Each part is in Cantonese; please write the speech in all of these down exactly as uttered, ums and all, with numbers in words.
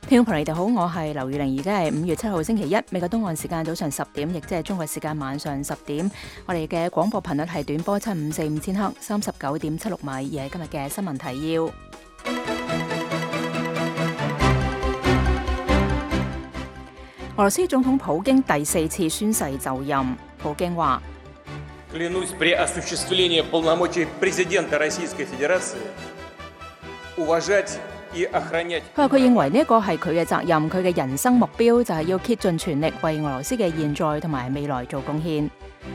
聽眾朋友，你哋好，我係劉宇玲，而家係五月七號星期一，美國東岸時間早上十點，亦即係中國時間晚上十點。我哋嘅廣播頻率係短波七五四五千赫，三十九點七六米，而係今日嘅新聞提要。俄羅斯總統普京第四次宣誓就任，普京話：Клянусь при осуществлении полномочий президента Российской Федерации уважать и охранять。佢話佢認為呢一個係佢嘅責任，佢嘅人生目標就係要竭盡全力為俄羅斯嘅現在同埋未來做貢獻。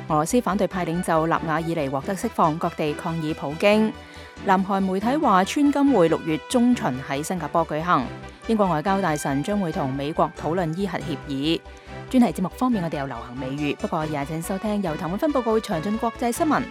俄羅斯反對派領袖納瓦爾尼獲得釋放，各地抗議普京。南韓媒體話川金會六月中旬喺新加坡舉行。英國外交大臣將會同美國討論伊核協議。專題節目方面，我哋有流行美語，不過也請收聽由譚永芬報告詳盡國際新聞。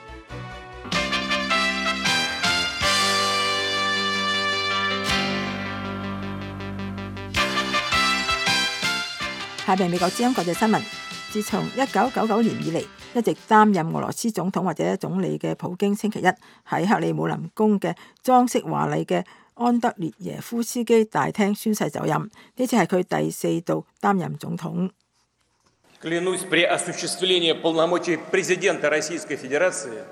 下邊美國之音國際新聞。自從一九九九年以嚟，一直擔任俄羅斯總統或者總理嘅普京，星期一喺克里姆林宮嘅裝飾華麗嘅安德烈耶夫斯基大廳宣誓就任，呢次係佢第四度擔任總統。Клянусь при осуществлении полномочий президента Российской Федерации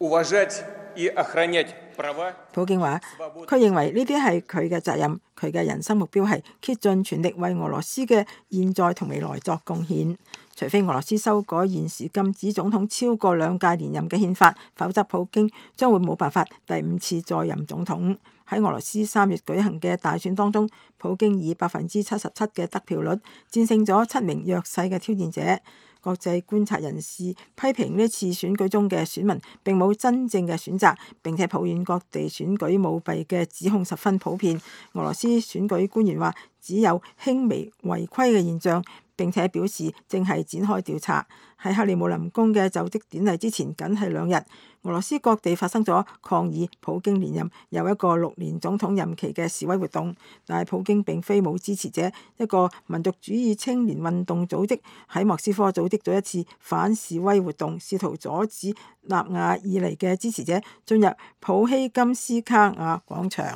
уважать и охранять права。普京話：佢認為呢啲係佢嘅責任，佢嘅人生目標係竭盡全力為俄羅斯嘅現在同未來作貢獻。除非俄羅斯修改現時禁止總統超過兩屆連任嘅憲法，否則普京將會冇辦法第五次再任總統。喺俄羅斯三月舉行嘅大選當中，普京以百分之七十七嘅得票率戰勝咗七名弱勢嘅挑戰者。國際觀察人士批評呢次選舉中嘅選民並冇真正嘅選擇，並且抱怨各地選舉舞弊嘅指控十分普遍。俄羅斯選舉官員話只有輕微違規嘅現象，並且表示正係展開調查。喺克里姆林宮嘅就職典禮之前，僅係兩日，俄羅斯各地發生咗抗議普京連任又一個六年總統任期嘅示威活動，但係普京並非冇支持者。一個民族主義青年運動組織喺莫斯科組織咗一次反示威活動，試圖阻止納瓦爾尼嘅支持者進入普希金斯卡亞廣場。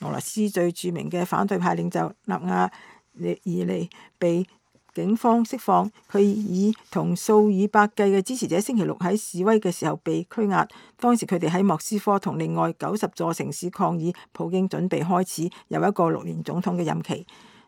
俄羅斯最著名嘅反對派領袖納瓦爾尼被警方釋放，佢以同數以百計嘅支持者星期六喺示威嘅時候被拘押。當時佢哋喺莫斯科同另外九十座城市抗議普京準備開始又一個六年總統嘅任期。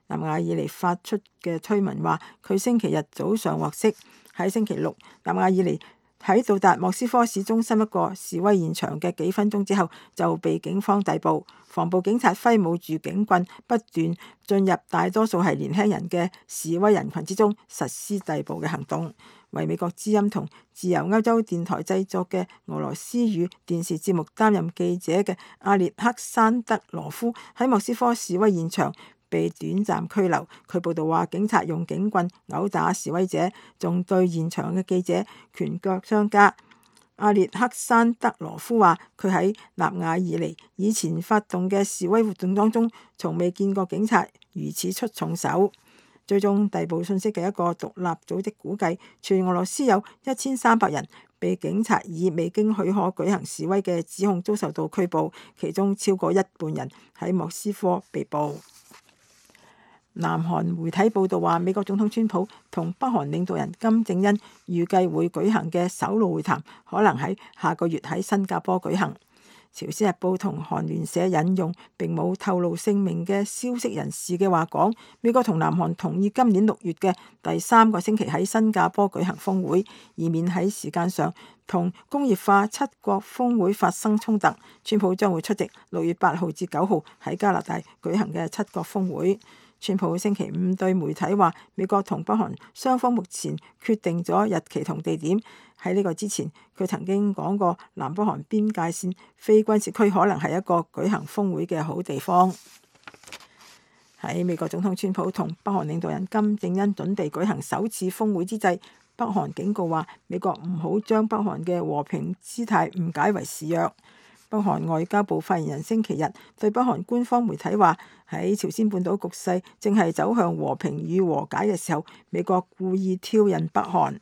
納瓦爾尼發出嘅推文話，佢星期日早上獲釋。喺星期六，納瓦爾尼喺到達莫斯科市中心一個示威現場嘅幾分鐘之後就被警方逮捕。防暴警察揮舞住警棍，不斷進入大多數係年輕人嘅示威人群之中，實施逮捕嘅行動。為美國之音同自由歐洲電台製作嘅俄羅斯語電視節目擔任記者嘅阿列克山德羅夫喺莫斯科示威現場被短暫拘留。佢報道話，警察用警棍毆打示威者，仲對現場嘅記者拳腳相加。阿列克山德羅夫話：佢喺納瓦爾尼以前發動嘅示威活動當中，從未見過警察如此出重手。追蹤逮捕信息嘅一個獨立組織估計，全俄羅斯有一千三百人被警察以未經許可舉行示威嘅指控遭受到拘捕，其中超過一半人喺莫斯科被捕。南韓媒體報道話，美國總統川普同北韓領導人金正恩預計會舉行嘅首腦會談，可能喺下個月喺新加坡舉行。朝鮮日報同韓聯社引用並冇透露姓名嘅消息人士嘅話講，美國同南韓同意今年六月嘅第三個星期喺新加坡舉行峰會，以免喺時間上同工業化七國峰會發生衝突。川普將會出席六月八號至九號喺加拿大舉行嘅七國峰會。川普星期五對媒體話，美國同北韓雙方目前決定咗日期同地點。喺呢個之前，佢曾經講過南北韓邊界線非軍事區可能係一個舉行峰會嘅好地方。喺美國總統川普同北韓領導人金正恩準備舉行首次峰會之際，北韓警告話，美國唔好將北韓嘅和平姿態誤解為示弱。北韓外交部發言人星期日對北韓官方媒體話，喺朝鮮半島局勢正係走向和平與和解嘅時候，美國故意挑釁北韓。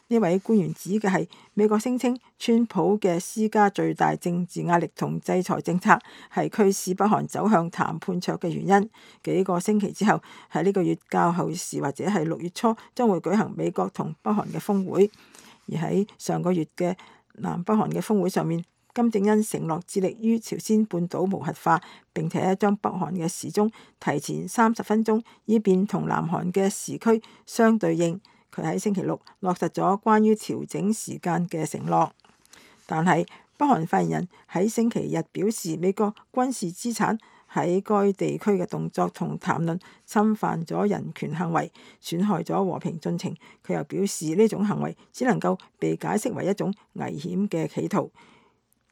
呢位官員指嘅係美國聲稱川普嘅施加最大政治壓力同制裁政策係驅使北韓走向談判桌嘅原因。幾個星期之後，喺呢個月較後時或者係六月初將會舉行美國同北韓嘅峰會。而喺上個月嘅南北韓嘅峰會上面，金正恩承諾致力於朝鮮半島無核化，並且將北韓嘅時鐘提前三十分鐘，以便同南韓嘅時區相對應。佢喺星期六落實咗關於調整時間嘅承諾。但係北韓發言人喺星期日表示，美國軍事資產喺該地區嘅動作同談論侵犯咗人權行為，損害咗和平進程。佢又表示呢種行為只能夠被解釋為一種危險嘅企圖。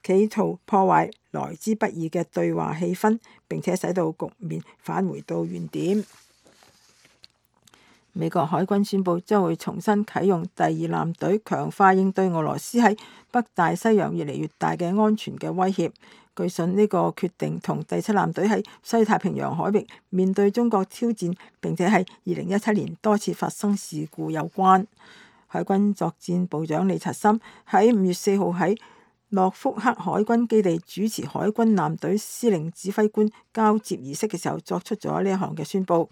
企圖破壞來之不易嘅對話氣氛，並且使到局面返回到原點。美國海軍宣布將會重新啟用第二艦隊，強化應對俄羅斯喺北大西洋越嚟越大嘅安全嘅威脅。據信呢個決定同第七艦隊喺西太平洋海域面對中國挑戰，並且係二零一七年多次發生事故有關。海軍作戰部長李察森喺五月四號喺諾福克海軍基地主持海軍艦隊司令指揮官交接儀式嘅時候，作出咗呢一項嘅宣佈。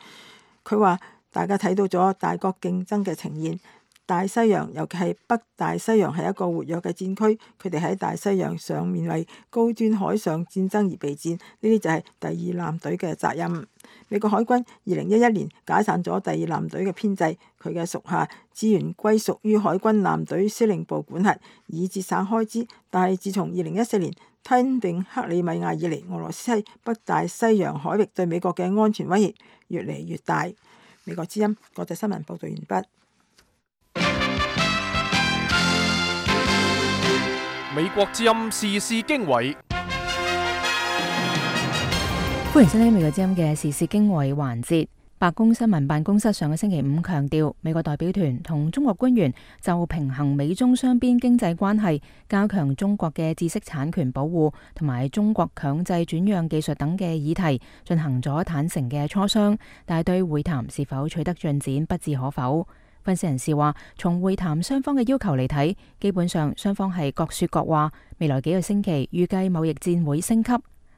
佢話：大家睇到咗大國競爭嘅呈現，大西洋尤其係北大西洋係一個活躍嘅戰區，佢哋喺大西洋上面為高端海上戰爭而備戰，呢啲就係第二艦隊嘅責任。美國海軍二零一一年解散咗第二艦隊嘅編制，佢嘅屬下資源歸屬於海軍艦隊司令部管轄，以節省開支。但係自從二零一四年吞併克里米亞以嚟，俄羅斯喺北大西洋海域對美國嘅安全威脅越嚟越大。美國之音國際新聞報道完畢。美國之音時事經緯，歡迎收聽美國之音嘅時事經緯環節。白宮新聞辦公室上個星期五強調，美國代表團同中國官員就平衡美中雙邊經濟關係、加強中國嘅知識產權保護同埋中國強制轉讓技術等嘅議題進行咗坦誠嘅磋商，但係對會談是否取得進展不置可否。分析人士話，從會談雙方嘅要求嚟睇，基本上雙方係各說各話。未來幾個星期預計貿易戰會升級。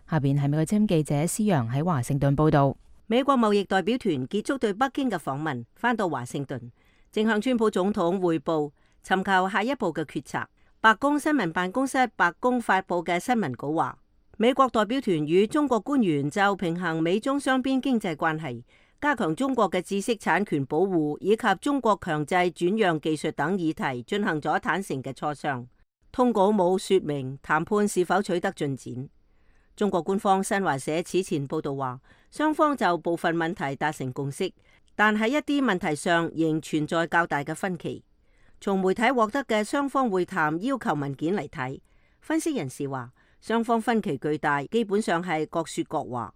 下邊係美國之音記者施洋喺華盛頓報道。美國貿易代表團結束對北京嘅訪問，返到華盛頓，正向川普總統匯報，尋求下一步嘅決策。白宮新聞辦公室白宮發佈嘅新聞稿話，美國代表團與中國官員就平衡美中雙邊經濟關係、加強中國嘅知識產權保護以及中國強制轉讓技術等議題進行咗坦誠嘅磋商。通稿冇說明談判是否取得進展。中國官方新華社此前報道話，雙方就部分問題達成共識，但喺一啲問題上仍存在較大嘅分歧。從媒體獲得嘅雙方會談要求文件嚟睇，分析人士話，雙方分歧巨大，基本上係各說各話。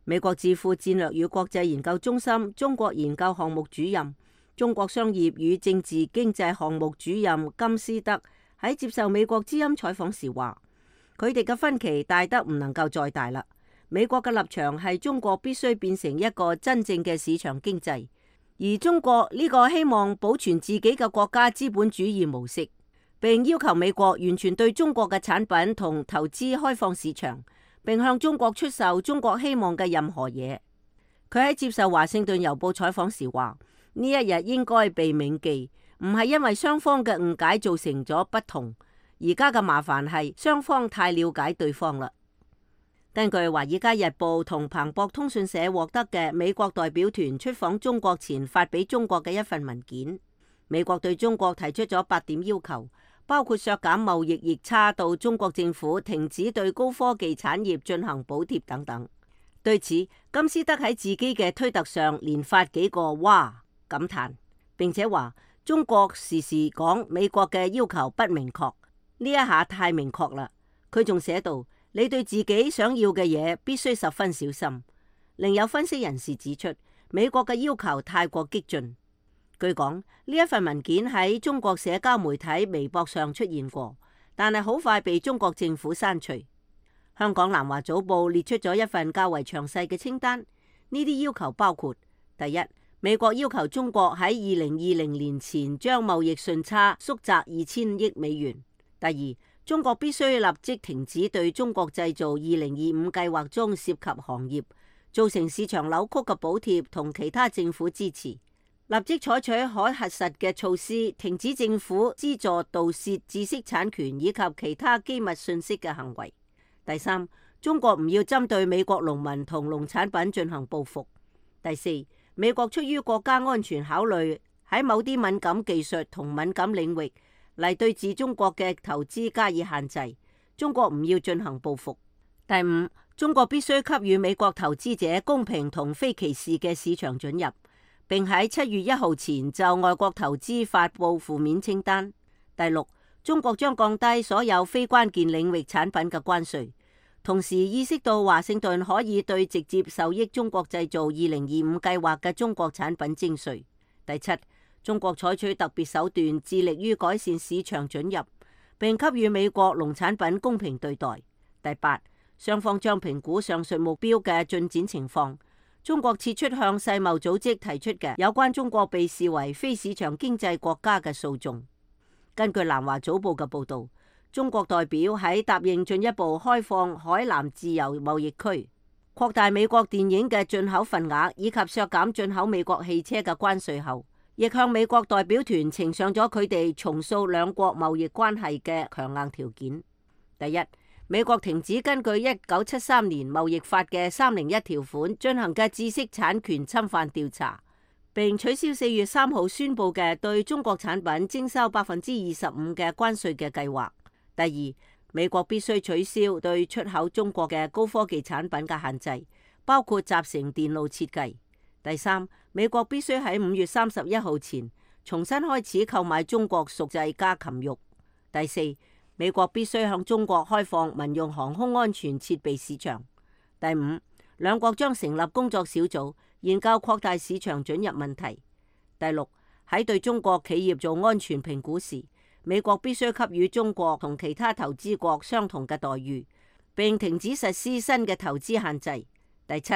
美國智庫戰略與國際研究中心中國研究項目主任、中國商業與政治經濟項目主任金斯德喺接受美國之音採訪時話，佢哋嘅分歧大得唔能夠再大啦。美國嘅立場係中國必須變成一個真正嘅市場經濟，而中國呢個希望保存自己嘅國家資本主義模式，並要求美國完全對中國嘅產品同投資開放市場，並向中國出售中國希望嘅任何嘢。佢喺接受華盛頓郵報採訪時話，呢一日應該被銘記，唔係因為雙方嘅誤解造成咗不同。而家嘅麻煩係雙方太了解對方啦。根據《華爾街日報》同彭博通訊社獲得嘅美國代表團出訪中國前發俾中國嘅一份文件，美國對中國提出咗八點要求，包括削減貿易逆差到中國政府停止對高科技產業進行補貼等等。對此，金斯德喺自己嘅推特上連發幾個哇感嘆，並且話中國時時講美國嘅要求不明確。呢一下太明確啦！佢仲寫道：你對自己想要嘅嘢必須十分小心。另有分析人士指出，美國嘅要求太過激進。據講，呢一份文件喺中國社交媒體微博上出現過，但係好快被中國政府刪除。香港南華早報列出咗一份較為詳細嘅清單，呢啲要求包括：第一，美國要求中國喺二零二零年前將貿易順差縮窄二千億美元。第二，中國必須立即停止對中國製造二零二五計劃中涉及行業造成市場扭曲嘅補貼同其他政府支持，立即採取可核實嘅措施，停止政府資助盜竊知識產權以及其他機密信息嘅行為。第三，中國唔要針對美國農民同農產品進行報復。第四，美國出於國家安全考慮，喺某啲敏感技術同敏感領域嚟對治中國嘅投資加以限制。中國唔要進行報復。第五，中國必須給予美國投資者公平同非歧視嘅市場准入，並喺七月一號前就外國投資發布負面清單。第六，中國將降低所有非關鍵領域產品嘅關稅，同時意識到華盛頓可以對直接受益中國製造二零二五計劃嘅中國產品徵稅。第七，中國採取特別手段，致力於改善市場准入，並給予美國農產品公平對待。第八，雙方將評估上述目標嘅進展情況。中國撤出向世貿組織提出嘅有關中國被視為非市場經濟國家嘅訴訟。根據南華早報嘅報導，中國代表喺答應進一步開放海南自由貿易區、擴大美國電影嘅進口份額以及削減進口美國汽車嘅關稅後，亦向美國代表團呈上咗佢哋重塑兩國貿易關係嘅強硬條件。第一，美國停止根據一九七三年貿易法嘅三零一條款進行嘅知識產權侵犯調查，並取消四月三號宣布嘅對中國產品徵收百分之二十五嘅關稅嘅計劃。第二，美國必須取消對出口中國嘅高科技產品嘅限制，包括集成電路設計。第三，美國必須喺五月三十一號前重新開始購買中國熟製家禽肉。第四，美國必須向中國開放民用航空安全設備市場。第五，兩國將成立工作小組，研究擴大市場准入問題。第六，喺對中國企業做安全評估時，美國必須給予中國同其他投資國相同嘅待遇，並停止實施新嘅投資限制。第七，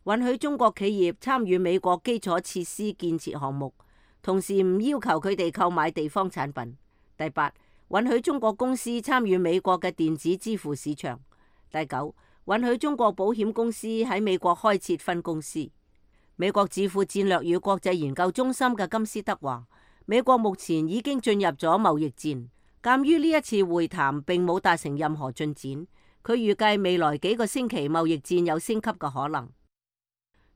允許中國企業參與美國基礎設施建設項目，同時唔要求佢哋購買地方產品。第八，允許中國公司參與美國嘅電子支付市場。第九，允許中國保險公司喺美國開設分公司。美國智庫戰略與國際研究中心嘅金斯德話，美國目前已經進入咗貿易戰。鑑於呢一次會談並冇達成任何進展，佢預計未來幾個星期貿易戰有升級嘅可能。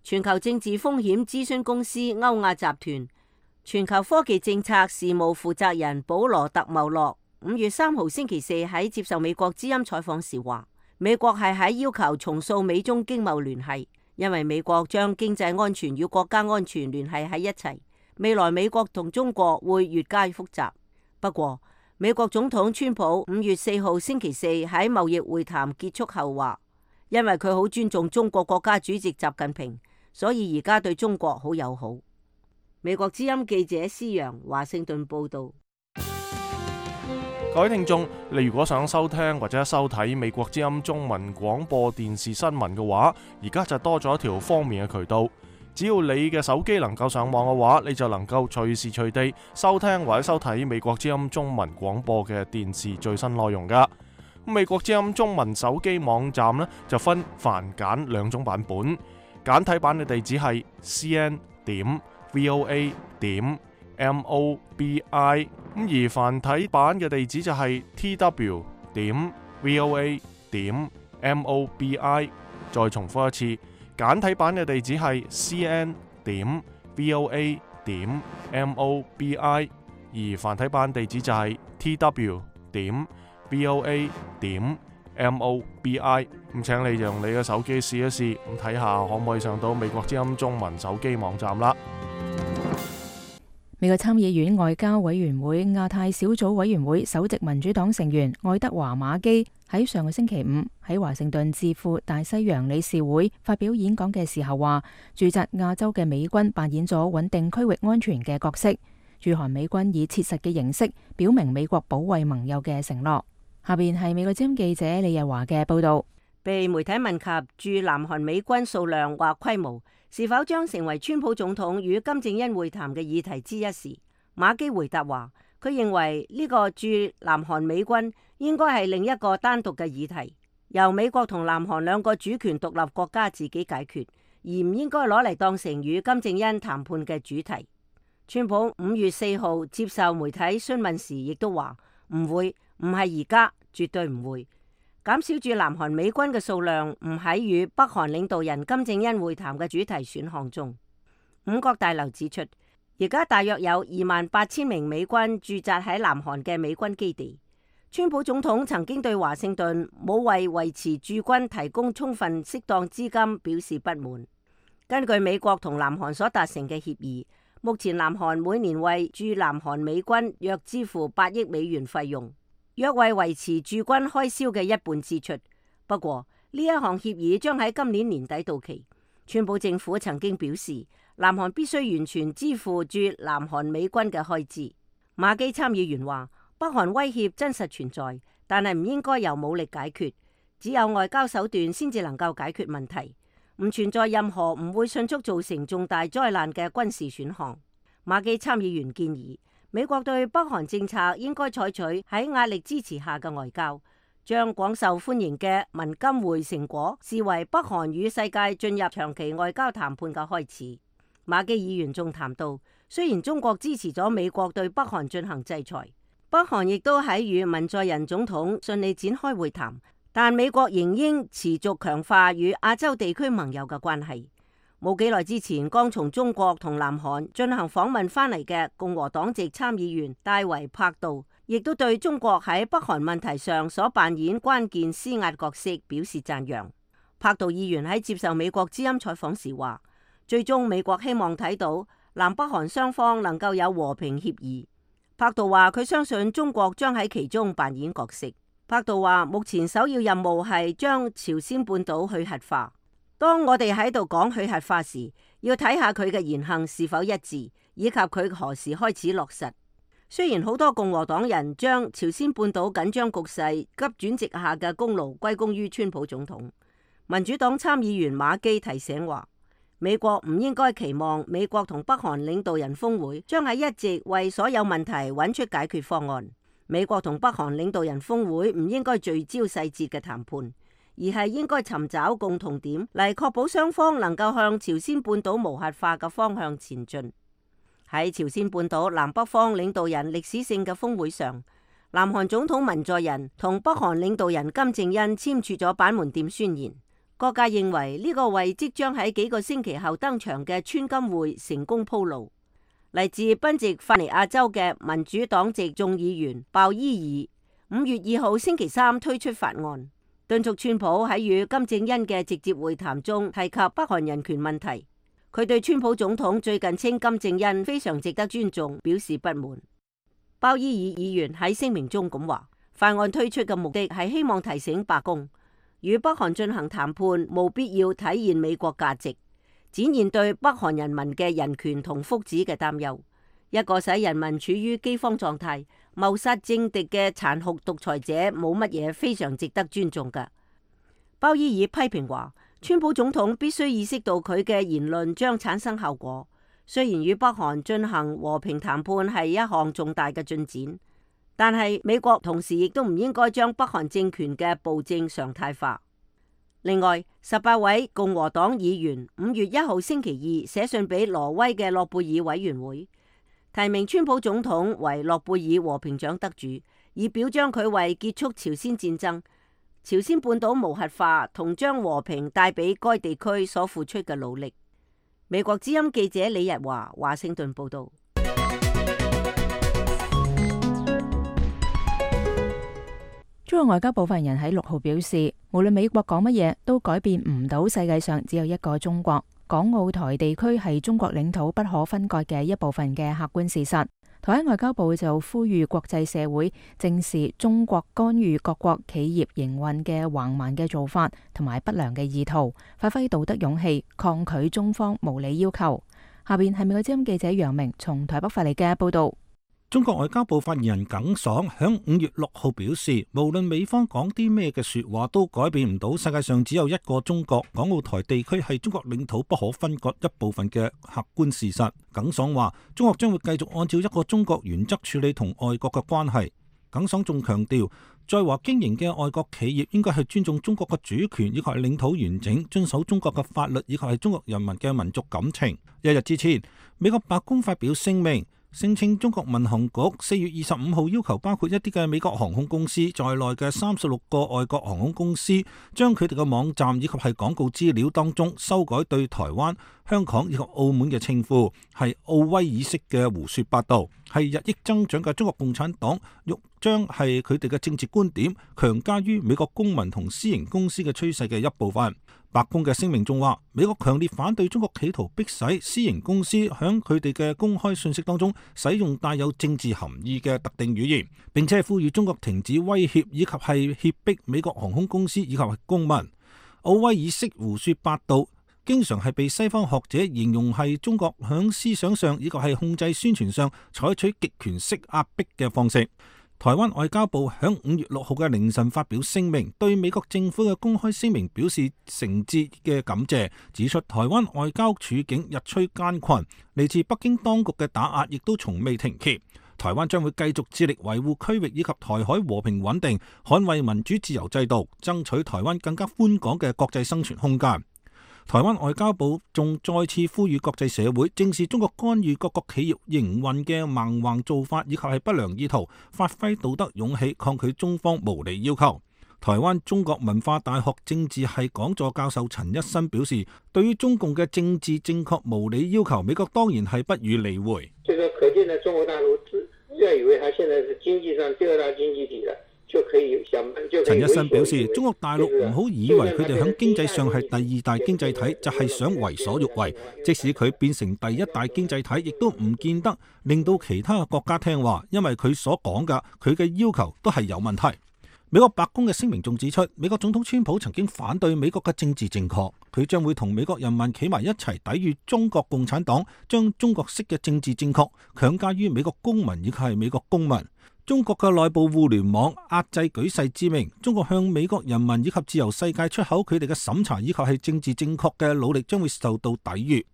全球政治風險諮詢公司歐亞集團全球科技政策事務負責人保羅特茂洛五月三號星期四喺接受美國之音採訪時話，美國係喺要求重塑美中經貿聯繫，因為美國將經濟安全與國家安全聯繫喺一齊。未來美國同中國會越加複雜。不過，美國總統川普五月四號星期四喺貿易會談結束後話，因為佢好尊重中國國家主席習近平，所以而家對中國好友好。美國之音記者施洋華盛頓報道。各位聽眾，你如果想收聽或者收睇美國之音中文廣播電視新聞嘅話，而家就多咗一條方便嘅渠道。只要你嘅手機能夠上網嘅話，你就能夠隨時隨地收聽或者收睇美國之音中文廣播嘅電視最新內容噶。美國之音中文手機網站呢，就分繁簡兩種版本，簡體版嘅地址係 c n 點 v o a 點 m o b i， 咁而繁體版嘅地址就係 t w 點 v o a 點 m o b i。再重複一次，簡體版嘅地址係 c n 點 v o a 點 m o b i， 而繁體版地址就係 t w 點 v o a 點 m o b i。咁請你用你嘅手機試一試，咁睇下可唔可以上到美國之音中文手機網站啦。美國參議院外交委員會亞太小組委員會首席民主黨成員愛德華馬基喺上個星期五喺華盛頓智庫大西洋理事會發表演講嘅時候話，駐紮亞洲嘅美軍扮演咗穩定區域安全嘅角色，駐韓美軍以切實嘅形式表明美國保衛盟友嘅承諾。下邊係美國之音記者李日華嘅報道。被媒體問及駐南韓美軍數量或規模，是否將成為川普總統與金正恩會談嘅議題之一時，馬基回答話，佢認為呢個駐南韓美軍應該係另一個單獨嘅議題，由美國同南韓兩個主權獨立國家自己解決，而唔應該攞嚟當成與金正恩談判嘅主題。川普五月四號接受媒體詢問時，亦都話唔會，唔係而家，絕對唔會。減少駐南韓美軍嘅數量唔喺與北韓領導人金正恩會談嘅主題選項中。五角大樓指出，而家大約有二萬八千名美軍駐紮喺南韓嘅美軍基地。川普總統曾經對華盛頓冇為維持駐軍提供充分適當資金表示不滿。根據美國同南韓所達成嘅協議，目前南韓每年為駐南韓美軍約支付八億美元費用，約為維持駐軍開銷嘅一半支出。不過呢一項協議將喺今年年底到期。川普政府曾經表示，南韓必須完全支付駐南韓美軍嘅開支。馬基參議員話，北韓威脅真實存在，但係唔應該由武力解決，只有外交手段先至能夠解決問題，唔存在任何唔會迅速造成重大災難嘅軍事選項。馬基參議員建議，美國對北韓政策應該採取喺壓力支持下嘅外交，將廣受歡迎嘅文金會成果視為北韓與世界進入長期外交談判嘅開始。馬基議員仲談到，雖然中國支持咗美國對北韓進行制裁，北韓亦都喺與文在寅總統順利展開會談，但美國仍應持續強化與亞洲地區盟友嘅關係。冇幾耐之前，剛從中國同南韓進行訪問翻嚟嘅共和黨籍參議員戴維柏道，亦都對中國喺北韓問題上所扮演關鍵施壓角色表示讚揚。柏道議員喺接受美國之音採訪時話，最終美國希望睇到南北韓雙方能夠有和平協議。柏道話佢相信中國將喺其中扮演角色。柏道話目前首要任務係將朝鮮半島去核化。當我哋喺度講去核化時，要睇下佢嘅言行是否一致，以及佢何時開始落實。雖然好多共和黨人將朝鮮半島緊張局勢急轉直下嘅功勞歸功於川普總統，民主黨參議員馬基提醒話，美國唔應該期望美國同北韓領導人峰會將係一直為所有問題揾出解決方案。美國同北韓領導人峰會唔應該聚焦細節嘅談判，而係應該尋找共同點嚟確保雙方能夠向朝鮮半島無核化嘅方向前進。喺朝鮮半島南北方領導人歷史性嘅峰會上，南韓總統文在寅同北韓領導人金正恩簽署咗板門店宣言。各界認為呢個為即將喺幾個星期後登場嘅川金會成功鋪路。嚟自賓夕法尼亞州嘅民主黨籍眾議員鮑伊爾五月二號星期三推出法案，敦促川普喺與金正恩嘅直接會談中提及北韓人權問題。佢對川普總統最近稱金正恩非常值得尊重表示不滿。鮑伊爾議員喺聲明中咁話，法案推出嘅目的係希望提醒白宮，與北韓進行談判務必要體現美國價值，展現對北韓人民嘅人權同福祉嘅擔憂。一個使人民處於饑荒狀態、謀殺政敵嘅殘酷獨裁者，冇乜嘢非常值得尊重㗎。鮑伊爾批評話，川普總統必須意識到佢嘅言論將產生效果。雖然與北韓進行和平談判係一項重大嘅進展，但係美國同時亦都唔應該將北韓政權嘅暴政常態化。另外，十八位共和黨議員五月一號星期二寫信俾挪威嘅諾貝爾委員會，提名川普總統為諾貝爾和平獎得主，以表彰佢為結束朝鮮戰爭、朝鮮半島無核化同將和平帶俾該地區所付出嘅努力。美國之音記者李日華華盛頓報道。中國外交部發言人喺六號表示，無論美國講乜嘢，都改變唔到世界上只有一個中國，港澳台地區係中國領土不可分割嘅一部分嘅客觀事實。台灣外交部就呼籲國際社會正視中國干預各國企業營運嘅橫蠻嘅做法同埋不良嘅意圖，發揮道德勇氣，抗拒中方無理要求。下邊係美國之音記者楊明從台北發嚟嘅報道。中國外交部發言人耿爽響五月六號表示，無論美方講啲咩嘅說話，都改變唔到世界上只有一個中國，港澳台地區係中國領土不可分割一部分嘅客觀事實。耿爽話，中國將會繼續按照一個中國原則處理同外國嘅關係。耿爽仲強調，在華經營嘅外國企業應該係尊重中國嘅主權以及係領土完整，遵守中國嘅法律以及係中國人民嘅民族感情。一日之前，美國白宮發表聲明，聲稱中國民航局四月二十五號要求包括一啲嘅美國航空公司在內嘅三十六個外國航空公司，將佢哋嘅網站以及係廣告資料當中修改對台灣、香港以及澳門嘅稱呼，係奧威爾式嘅胡說八道，係日益增長嘅中國共產黨欲將係佢哋嘅政治觀點強加於美國公民同私營公司嘅趨勢嘅一部分。白宮嘅聲明仲話，美國強烈反對中國企圖迫使私營公司響佢哋嘅公開信息當中使用帶有政治含義嘅特定語言，並且呼籲中國停止威脅以及係脅迫美國航空公司以及係公民。奧威爾式胡說八道經常係被西方學者形容係中國響思想上以及係控制宣傳上採取極權式壓迫嘅方式。台灣外交部響五月六號嘅凌晨發表聲明，對美國政府嘅公開聲明表示誠摯嘅感謝，指出台灣外交處境日趨艱困，嚟自北京當局嘅打壓亦都從未停歇。台灣將會繼續致力維護區域以及台海和平穩定，捍衛民主自由制度，爭取台灣更加寬廣嘅國際生存空間。台灣外交部仲再次呼籲國際社會正視中國干預各國企業營運嘅蠻橫做法，以及係不良意圖，發揮道德勇氣，抗拒中方無理要求。台灣中國文化大學政治系講座教授陳一新表示，對於中共嘅政治正確無理要求，美國當然係不予理會。這個可見呢，中國大陸自然以為他現在是經濟上第二大經濟體了。陳一新表示，中國大陸唔好以為佢哋響經濟上係第二大經濟體，就係想為所欲為。即使佢變成第一大經濟體，亦都唔見得令到其他嘅國家聽話，因為佢所講嘅佢嘅要求都係有問題。美國白宮嘅聲明仲指出，美國總統川普曾經反對美國嘅政治正確，佢將會同美國人民企埋一齊抵禦中國共產黨將中國式嘅政治正確強加於美國公民以及係美國公民。中國嘅內部互聯網壓制舉世知名，中國向美國人民以及自由世界出口佢哋嘅審查以及係政治正確嘅努力將會受到抵禦。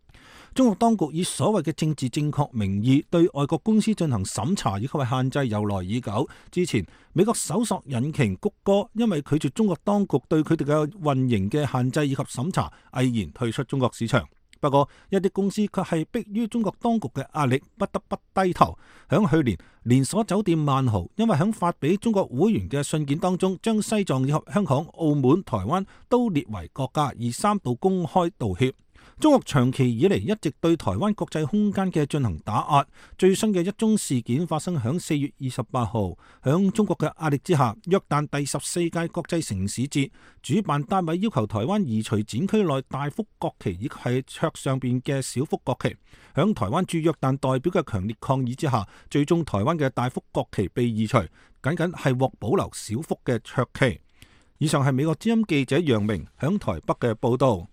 中國當局以所謂嘅政治正確名義對外國公司進行審查以及係限制由來已久。之前美國搜索引擎谷歌因為拒絕中國當局對佢哋嘅運營嘅限制以及審查，毅然退出中國市場。不過，一啲公司卻係迫於中國當局嘅壓力，不得不低頭。響去年，連鎖酒店萬豪因為響發俾中國會員嘅信件當中，將西藏以及香港、澳門、台灣都列為國家，而三度公開道歉。中國長期以嚟一直對台灣國際空間嘅進行打壓，最新嘅一宗事件發生響四月二十八號，響中國嘅壓力之下，約旦第十四屆國際城市節主辦單位要求台灣移除展區內大幅國旗以及係桌上邊嘅小幅國旗。響台灣駐約旦代表嘅強烈抗議之下，最終台灣嘅大幅國旗被移除，僅僅係獲保留小幅嘅桌旗。以上係美國之音記者楊明響台北嘅報道。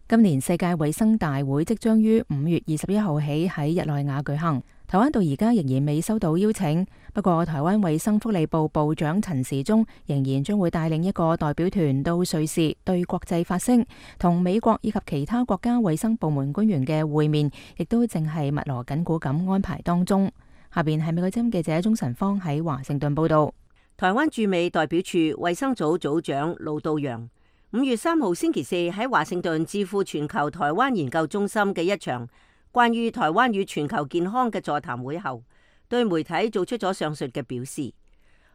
今年世界衛生大會即將於五月二十一號起喺日內瓦舉行，台灣到而家仍然未收到邀請。不過，台灣衛生福利部部長陳時中仍然將會帶領一個代表團到瑞士對國際發聲，同美國以及其他國家衛生部門官員嘅會面，亦都正係密鑼緊鼓咁安排當中。下邊係美國之音記者鍾晨芳喺華盛頓報道。台灣駐美代表處衛生組組長盧道陽五月三號星期四喺華盛頓智庫全球台灣研究中心嘅一場關於台灣與全球健康嘅座談會後，對媒體做出咗上述嘅表示。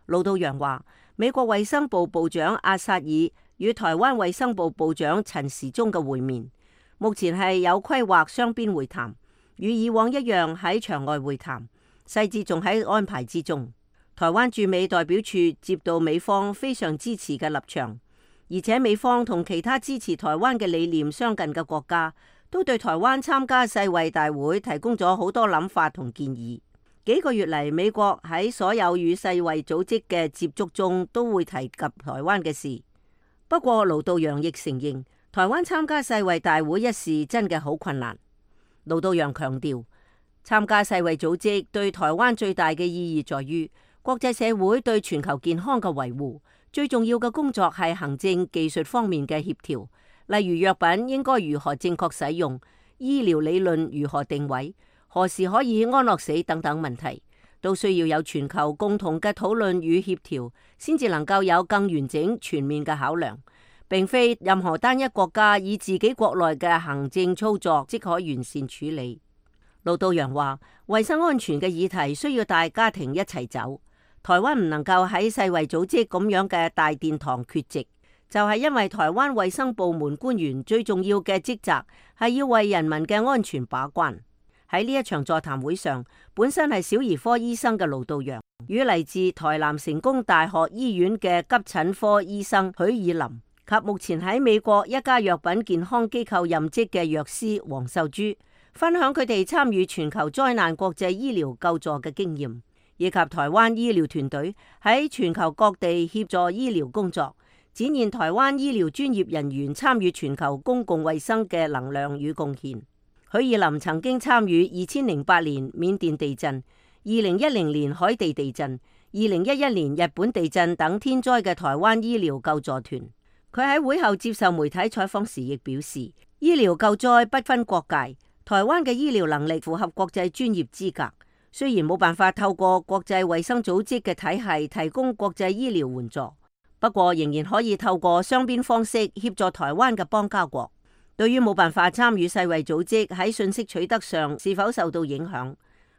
盧道陽話，美國衛生部部長阿薩爾與台灣衛生部部長陳時中嘅會面，目前係有規劃雙邊會談，與以往一樣喺場外會談，細節仲喺安排之中。台灣駐美代表處接到美方非常支持嘅立場。而且美方同其他支持台灣嘅理念相近嘅國家，都對台灣參加世衛大會提供咗好多諗法同建議。幾個月嚟，美國喺所有與世衛組織嘅接觸中，都會提及台灣嘅事。不過，盧道陽亦承認，台灣參加世衛大會一事真嘅好困難。盧道陽強調，參加世衛組織對台灣最大嘅意義在於國際社會對全球健康嘅維護，最重要嘅工作係行政技術方面嘅協調，例如藥品應該如何正確使用，醫療理論如何定位，何時可以安樂死等等問題，都需要有全球共同嘅討論與協調，先至能夠有更完整全面嘅考量，並非任何單一國家以自己國內嘅行政操作即可完善處理。盧道陽話，衛生安全嘅議題需要大家庭一齊走，台灣唔能夠喺世衛組織咁樣嘅大殿堂缺席，就係因為台灣衛生部門官員最重要嘅職責係要為人民嘅安全把關。喺呢一場座談會上，本身係小兒科醫生嘅盧道陽與嚟自台南成功大學醫院嘅急診科醫生許以林及目前喺美國一家藥品健康機構任職嘅藥師黃秀珠，分享佢哋參與全球災難國際醫療救助嘅經驗，以及台灣醫療團隊喺全球各地協助醫療工作，展現台灣醫療專業人員參與全球公共衛生嘅能量與貢獻。許以林曾經參與二千零八年緬甸地震、二零一零年海地地震、二零一一年日本地震等天災嘅台灣醫療救助團。佢喺會後接受媒體採訪時亦表示，醫療救災不分國界，台灣嘅醫療能力符合國際專業資格。雖然冇辦法透過國際衛生組織嘅體系提供國際醫療援助，不過仍然可以透過雙邊方式協助台灣嘅邦交國。對於冇辦法參與世衛組織喺信息取得上是否受到影響，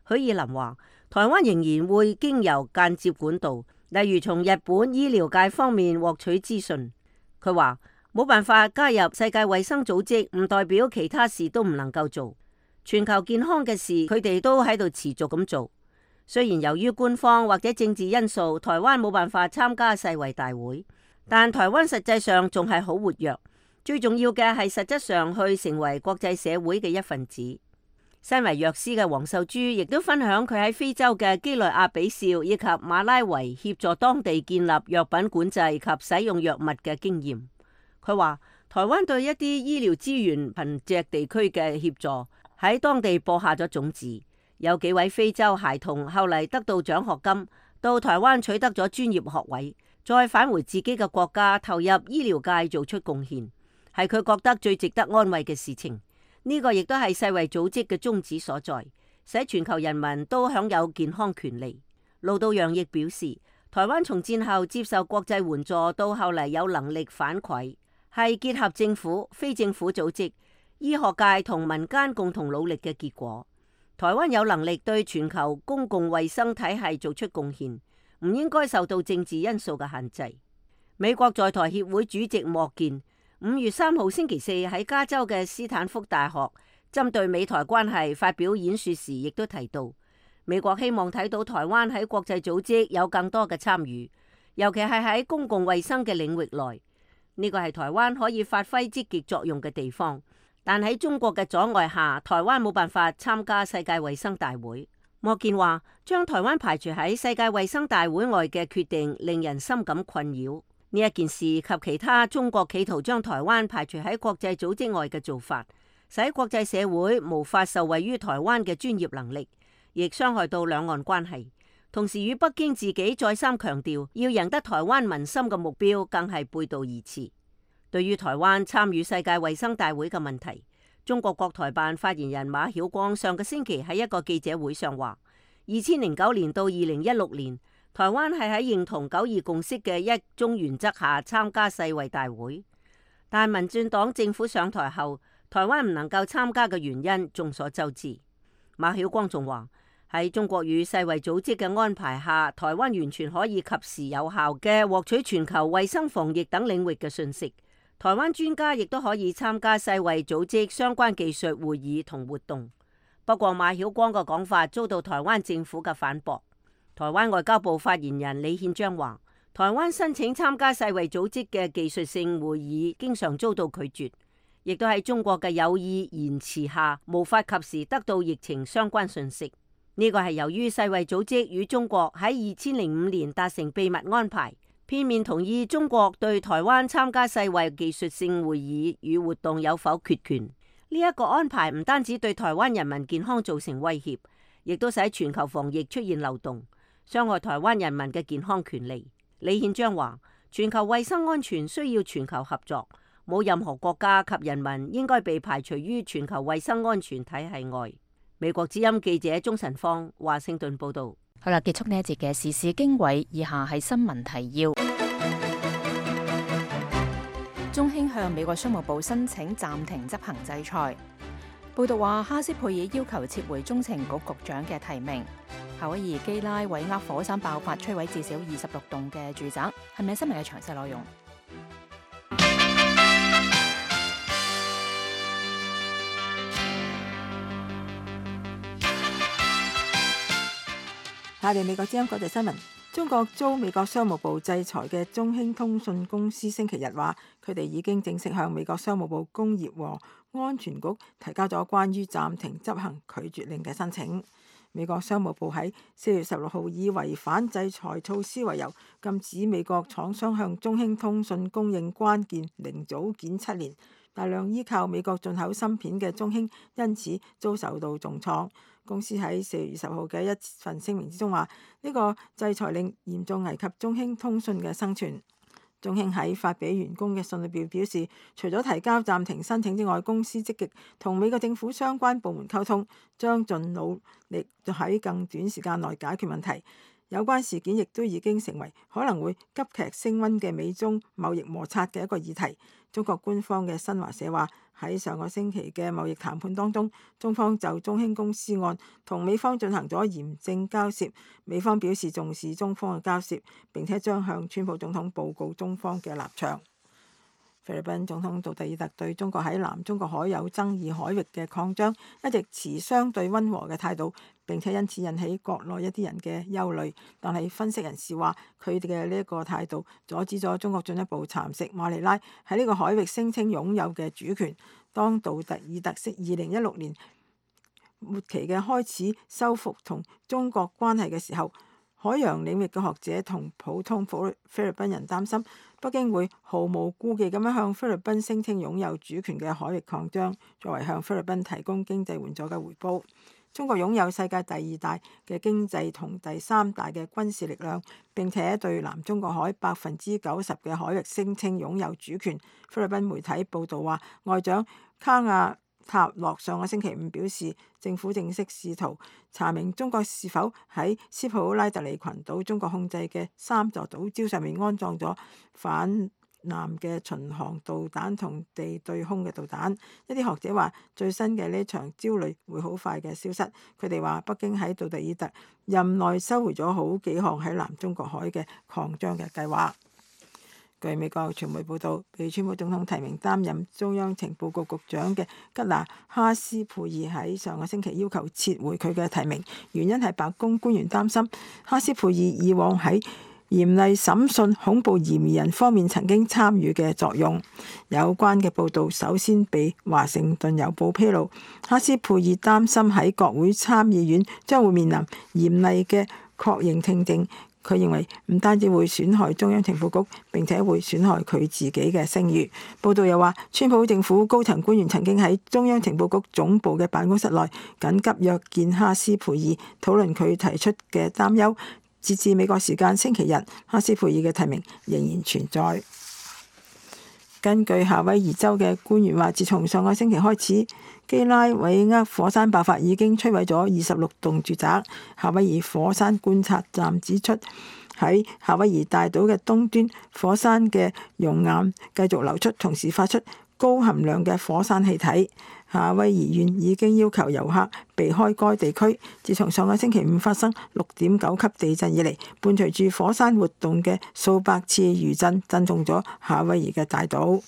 許以林話，台灣仍然會經由間接管道，例如從日本醫療界方面獲取資訊。佢話冇辦法加入世界衛生組織，唔代表其他事都唔能夠做。全球健康嘅事，佢哋都喺度持續咁做。雖然由於官方或者政治因素，台灣冇辦法參加世衛大會，但台灣實際上仲係好活躍。最重要嘅係實質上去成為國際社會嘅一份子。身為藥師嘅黃秀珠亦都分享佢喺非洲嘅幾內亞比紹以及馬拉維協助當地建立藥品管制及使用藥物嘅經驗。佢話台灣對一啲醫療資源貧瘠地區嘅協助喺當地播下咗種子，有幾位非洲孩童後嚟得到獎學金，到台灣取得咗專業學位，再返回自己嘅國家投入醫療界做出貢獻，係佢覺得最值得安慰嘅事情。呢個亦都係世衛組織嘅宗旨所在，使全球人民都享有健康權利。盧道陽亦表示，台灣從戰後接受國際援助到後嚟有能力反饋，係結合政府、非政府組織、醫學界同民間共同努力嘅結果。台灣有能力對全球公共衛生體系做出貢獻，唔應該受到政治因素嘅限制。美國在台協會主席莫健五月三號星期四喺加州嘅斯坦福大學針對美台關係發表演說時，亦都提到美國希望睇到台灣喺國際組織有更多嘅參與，尤其係喺公共衛生嘅領域內。呢個係台灣可以發揮積極作用嘅地方，但喺中國嘅阻礙下，台灣冇辦法參加世界衛生大會。莫健話，將台灣排除喺世界衛生大會外嘅決定令人深感困擾。呢一件事及其他中國企圖將台灣排除喺國際組織外嘅做法，使國際社會無法受惠於台灣嘅專業能力，亦傷害到兩岸關係。同時與北京自己再三強調要贏得台灣民心嘅目標，更係背道而馳。對於台灣參與世界衛生大會嘅問題，中國國台辦發言人馬曉光上個星期喺一個記者會上話，二千零九年到二零一六年，台灣係喺認同九二共識嘅一中原則下參加世衛大會，但民進黨政府上台後，台灣唔能夠參加嘅原因眾所周知。馬曉光仲話，喺中國與世衛組織嘅安排下，台灣完全可以及時有效嘅獲取全球衛生防疫等領域嘅信息。台灣專家亦都可以參加世衛組織相關技術會議同活動。不過馬曉光嘅講法遭到台灣政府嘅反駁。台灣外交部發言人李憲章話，台灣申請參加世衛組織嘅技術性會議經常遭到拒絕，亦都喺中國嘅有意延遲下，無法及時得到疫情相關信息。呢個係由於世衛組織與中國喺二千零五年達成秘密安排，片面同意中國對台灣參加世衛技術性會議與活動有否決權。呢一個安排唔單止對台灣人民健康造成威脅，亦都使全球防疫出現漏洞，傷害台灣人民嘅健康權利。李憲章話：全球衛生安全需要全球合作，冇任何國家及人民應該被排除於全球衛生安全體系外。美國之音記者鍾晨芳華盛頓報道。好啦，結束呢一節嘅時事經緯，以下係新聞提要。中興向美國商務部申請暫停執行制裁。報道話，哈斯佩爾要求撤回中情局局長嘅提名。夏威夷基拉韋厄火山爆發，摧毀至少二十六棟嘅住宅。係咪新聞嘅詳細內容？下嚟美國之音國際新聞。中國遭美國商務部制裁嘅中興通訊公司星期日話，佢哋已經正式向美國商務部工業和安全局提交咗關於暫停執行拒絕令嘅申請。美國商務部喺四月十六號以違反制裁措施為由，禁止美國廠商向中興通訊供應關鍵零組件七年。大量依靠美國進口芯片嘅中興因此遭受到重創。公司喺四月二十號嘅一份聲明之中話，呢個制裁令嚴重危及中興通訊嘅生存。中興喺發俾員工嘅信裏邊表示，除咗提交暫停申請之外，公司積極同美國政府相關部門溝通，將盡努力喺更短時間內解決問題。有關事件亦都已經成為可能會急劇升溫嘅美中貿易摩擦嘅一個議題。中國官方嘅新華社話，喺上個星期嘅貿易談判當中，中方就中興公司案同美方進行咗嚴正交涉。美方表示重視中方嘅交涉，並且將向川普總統報告中方嘅立場。菲律賓總統杜特爾特對中國喺南中國海有爭議海域嘅擴張一直持相對溫和嘅態度，並且因此引起國內一啲人嘅憂慮。但係分析人士話，佢哋嘅呢一個態度阻止咗中國進一步蠶食馬尼拉喺呢個海域聲稱擁有嘅主權。當杜特爾特喺二零一六年末期嘅開始修復同中國關係嘅時候，海洋領域嘅學者同普通菲律賓人擔心北京會毫無顧忌咁樣向菲律賓聲稱擁有主權嘅海域擴張，作為向菲律賓提供經濟援助嘅回報。中國擁有世界第二大嘅經濟同第三大嘅軍事力量，並且對南中國海百分之九十嘅海域聲稱擁有主權。菲律賓媒體報導話，外長卡亞塔洛上個星期五表示，政府正式試圖查明中國是否喺斯普拉特里群島中國控制嘅三座島礁上面安裝咗反艦嘅巡航導彈同地對空嘅導彈。一啲學者話，最新嘅呢場焦慮會好快嘅消失。佢哋話，北京喺杜特爾特任內收回咗好幾項喺南中國海嘅擴張嘅計劃。據美國傳媒報道，被川普總統提名擔任中央情報局局長嘅吉拿哈斯佩爾喺上個星期要求撤回佢嘅提名，原因係白宮官員擔心哈斯佩爾以往喺嚴厲審訊恐怖嫌疑人方面曾經參與嘅作用。有關嘅報導首先被華盛頓郵報披露，哈斯佩爾擔心喺國會參議院將會面臨嚴厲嘅確認聽證。佢認為唔單止會損害中央情報局，並且會損害佢自己嘅聲譽。報道又話，川普政府高層官員曾經喺中央情報局總部嘅辦公室內緊急約見哈斯佩爾，討論佢提出嘅擔憂。截至美國時間星期日，哈斯佩爾嘅提名仍然存在。根據夏威夷州嘅官員話，自從上個星期開始，基拉韋厄火山爆發已經摧毀咗二十六棟住宅。夏威夷火山觀察站指出，喺夏威夷大島嘅東端，火山嘅熔岩繼續流出，同時發出高含量嘅火山氣體。夏威夷縣已經要求遊客避開該地區。自從上個星期五發生六點九級地震以嚟，伴隨住火山活動嘅數百次餘震震中咗夏威夷嘅大島。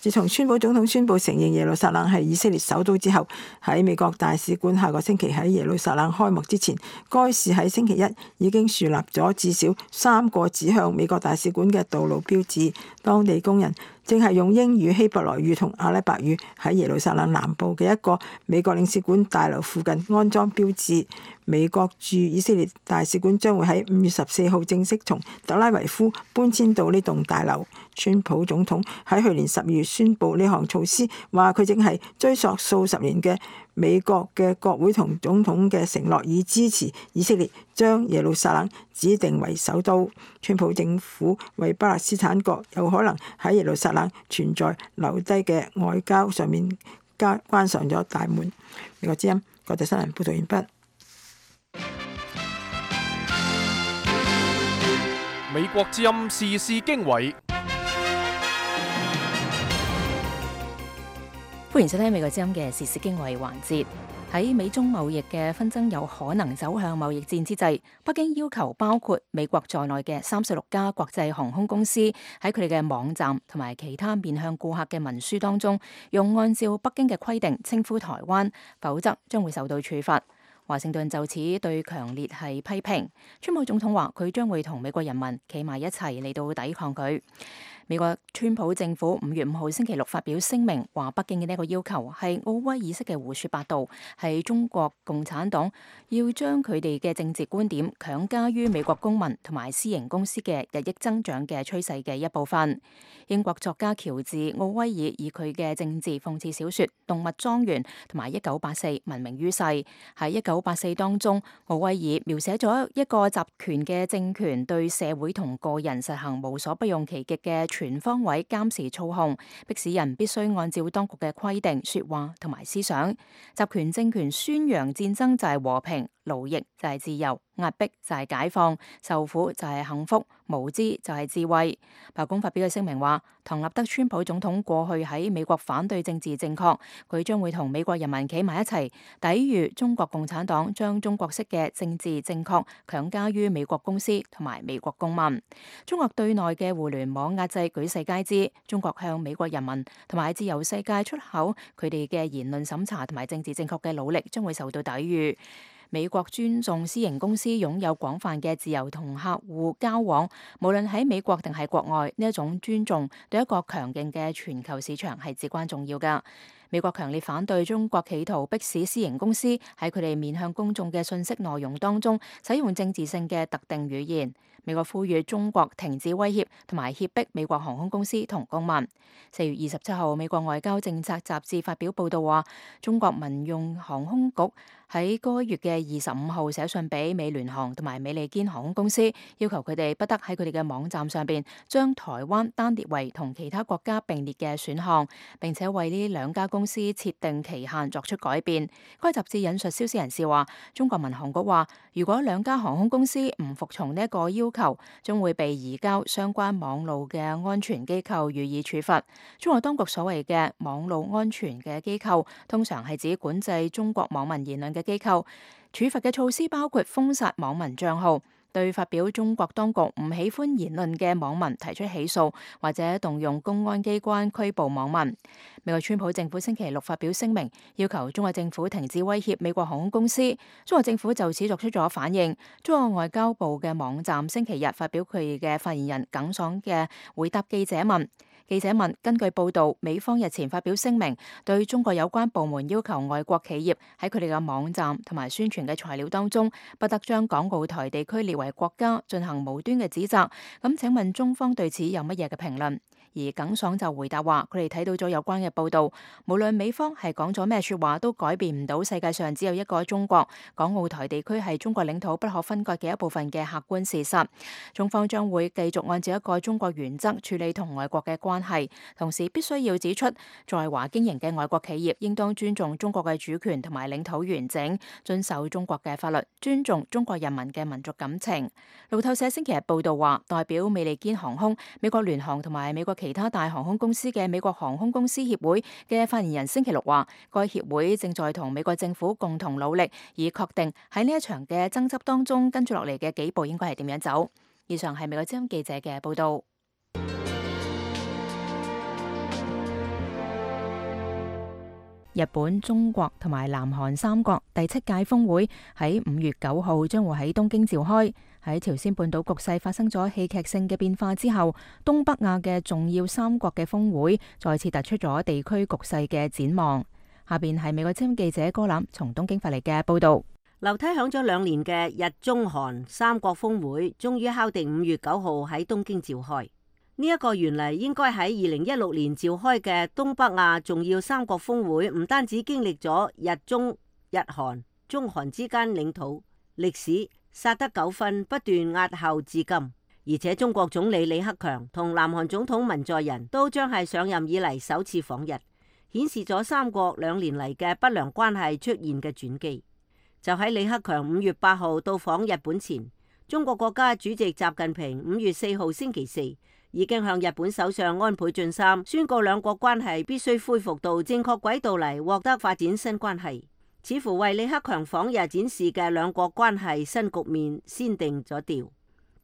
自從川普總統宣布承認耶路撒冷係以色列首都之後，喺美國大使館下個星期喺耶路撒冷開幕之前，該市喺星期一已經樹立咗至少三個指向美國大使館嘅道路標誌。當地工人正係用英語、希伯來語同阿拉伯語喺耶路撒冷南部嘅一個美國領事館大樓附近安裝標誌。美國駐以色列大使館將會喺五月十四號正式從特拉維夫搬遷到呢棟大樓。川普總統喺去年十二月宣布呢項措施，話佢正係追溯數十年嘅美國嘅國會同總統嘅承諾，以支持以色列將耶路撒冷指定為首都。川普政府為巴勒斯坦國有可能喺耶路撒冷存在留低嘅外交上面加關上咗大門。美國之音國際新聞報道完畢。美國之音時事經緯，歡迎收聽美國之音嘅時事經緯環節。喺美中貿易嘅紛爭有可能走向貿易戰之際，北京要求包括美國在內嘅三十六家國際航空公司喺佢哋嘅網站同埋其他面向顧客嘅文書當中，用按照北京嘅規定稱呼台灣，否則將會受到處罰。華盛頓就此對強烈係批評。川普總統話佢將會同美國人民企埋一齊嚟到抵抗佢。美國川普政府五月五號星期六發表聲明，話北京嘅呢個要求係奧威爾式嘅胡說八道，係中國共產黨要將佢哋嘅政治觀點強加於美國公民同埋私營公司嘅日益增長嘅趨勢嘅一部分。英國作家喬治奧威爾以佢嘅政治諷刺小說《動物莊園》同埋《一九八四》聞名於世。喺《一九八四》當中，奧威爾描寫咗一個集權嘅政權對社會同個人實行無所不用其極嘅全方位監視操控，迫使人必須按照當局嘅規定說話同埋思想。集權政權宣揚戰爭就係和平，奴役就係自由，壓迫就係解放，受苦就係幸福，無知就係智慧。白宮發表嘅聲明話，唐納德川普總統過去喺美國反對政治正確，佢將會同美國人民企埋一齊，抵禦中國共產黨將中國式嘅政治正確強加於美國公司同埋美國公民。中國對內嘅互聯網壓制舉世皆知，中國向美國人民同埋自由世界出口佢哋嘅言論審查同埋政治正確嘅努力將會受到抵禦。美國尊重私營公司擁有廣泛嘅自由同客戶交往，無論喺美國定係國外，呢一種尊重對一個強勁嘅全球市場係至關重要㗎。美國強烈反對中國企圖迫使私營公司喺佢哋面向公眾嘅信息內容當中使用政治性嘅特定語言。美國呼籲中國停止威脅同埋脅迫美國航空公司同公民。四月二十七號，美國外交政策雜誌發表報道話，中國民用航空局喺該月嘅二十五號寫信俾美聯航同埋美利堅航空公司，要求佢哋不得喺佢哋嘅網站上邊將台灣單列為同其他國家並列嘅選項，並且為呢兩家公司設定期限作出改變。該雜誌引述消息人士話，中國民航局話，如果兩家航空公司唔服從呢一個要求，將會被移交相關網路嘅安全機構予以處罰。中國當局所謂嘅網路安全嘅機構，通常係指管制中國網民言論嘅機構。處罰嘅措施包括封殺網民賬號，對發表中國當局唔喜歡言論嘅網民提出起訴，或者動用公安機關拘捕網民。美國川普政府星期六發表聲明，要求中國政府停止威脅美國航空公司。中國政府就此作出咗反應。中國外交部嘅網站星期日發表佢嘅發言人耿爽嘅回答記者問。記者問：根據報道，美方日前發表聲明，對中國有關部門要求外國企業喺佢哋嘅網站同埋宣傳嘅材料當中，不得將港澳台地區列為國家，進行無端嘅指責。咁請問中方對此有乜嘢嘅評論？而耿爽就回答話：佢哋睇到咗有關嘅報道，無論美方係講咗咩說話，都改變唔到世界上只有一個中國，港澳台地區係中國領土不可分割嘅一部分嘅客觀事實。中方將會繼續按照一個中國原則處理同外國嘅關係，同時必須要指出，在華經營嘅外國企業應當尊重中國嘅主權同埋領土完整，遵守中國嘅法律，尊重中國人民嘅民族感情。路透社星期日報道話，代表美利堅航空、美國聯航同埋美國其他大航空公司嘅美國航空公司協會嘅發言人星期六話，該協會正在同美國政府共同努力，以確定喺呢一場嘅爭執當中跟住落嚟嘅幾步應該係點樣走。以上係美國之音記者嘅報道。日本、中國同埋南韓三國第七屆峰會喺五月九號將會喺東京召開。喺朝鮮半島局勢發生咗戲劇性嘅變化之後，東北亞嘅重要三國嘅峰會再次突出咗地區局勢嘅展望。下邊係美國之音記者哥藍從東京發嚟嘅報道。樓梯響咗兩年嘅日中韓三國峰會，終於敲定五月九號喺東京召開。呢一個原嚟應該喺二零一六年召開嘅東北亞重要三國峰會，唔單止經歷咗日中、日韓、中韓之間領土、歷史、薩德糾紛不斷押後至今，而且中國總理李克強同南韓總統文在寅都將係上任以嚟首次訪日，顯示咗三國兩年嚟嘅不良關係出現嘅轉機。就喺李克強五月八號到訪日本前，中國國家主席習近平五月四號星期四已經向日本首相安倍晉三宣告兩國關係必須恢復到正確軌道嚟獲得發展新關係，似乎為李克強訪日展示嘅兩國關係新局面先定咗調。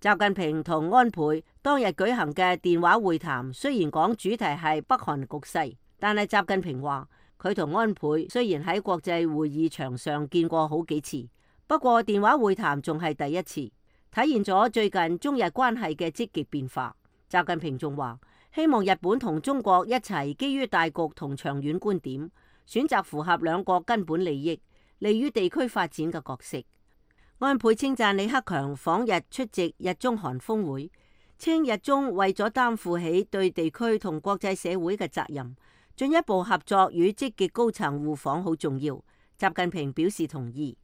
習近平同安倍當日舉行嘅電話會談，雖然講主題係北韓局勢，但係習近平話佢同安倍雖然喺國際會議場上見過好幾次，不過電話會談仲係第一次，體現咗最近中日關係嘅積極變化。習近平仲話希望日本同中國一齊基於大局同長遠觀點，選擇符合兩國根本利益、利於地區發展嘅角色。安倍稱讚李克強訪日出席日中韓峰會，稱日中為咗擔負起對地區同國際社會嘅責任，進一步合作與積極高層互訪好重要。習近平表示同意。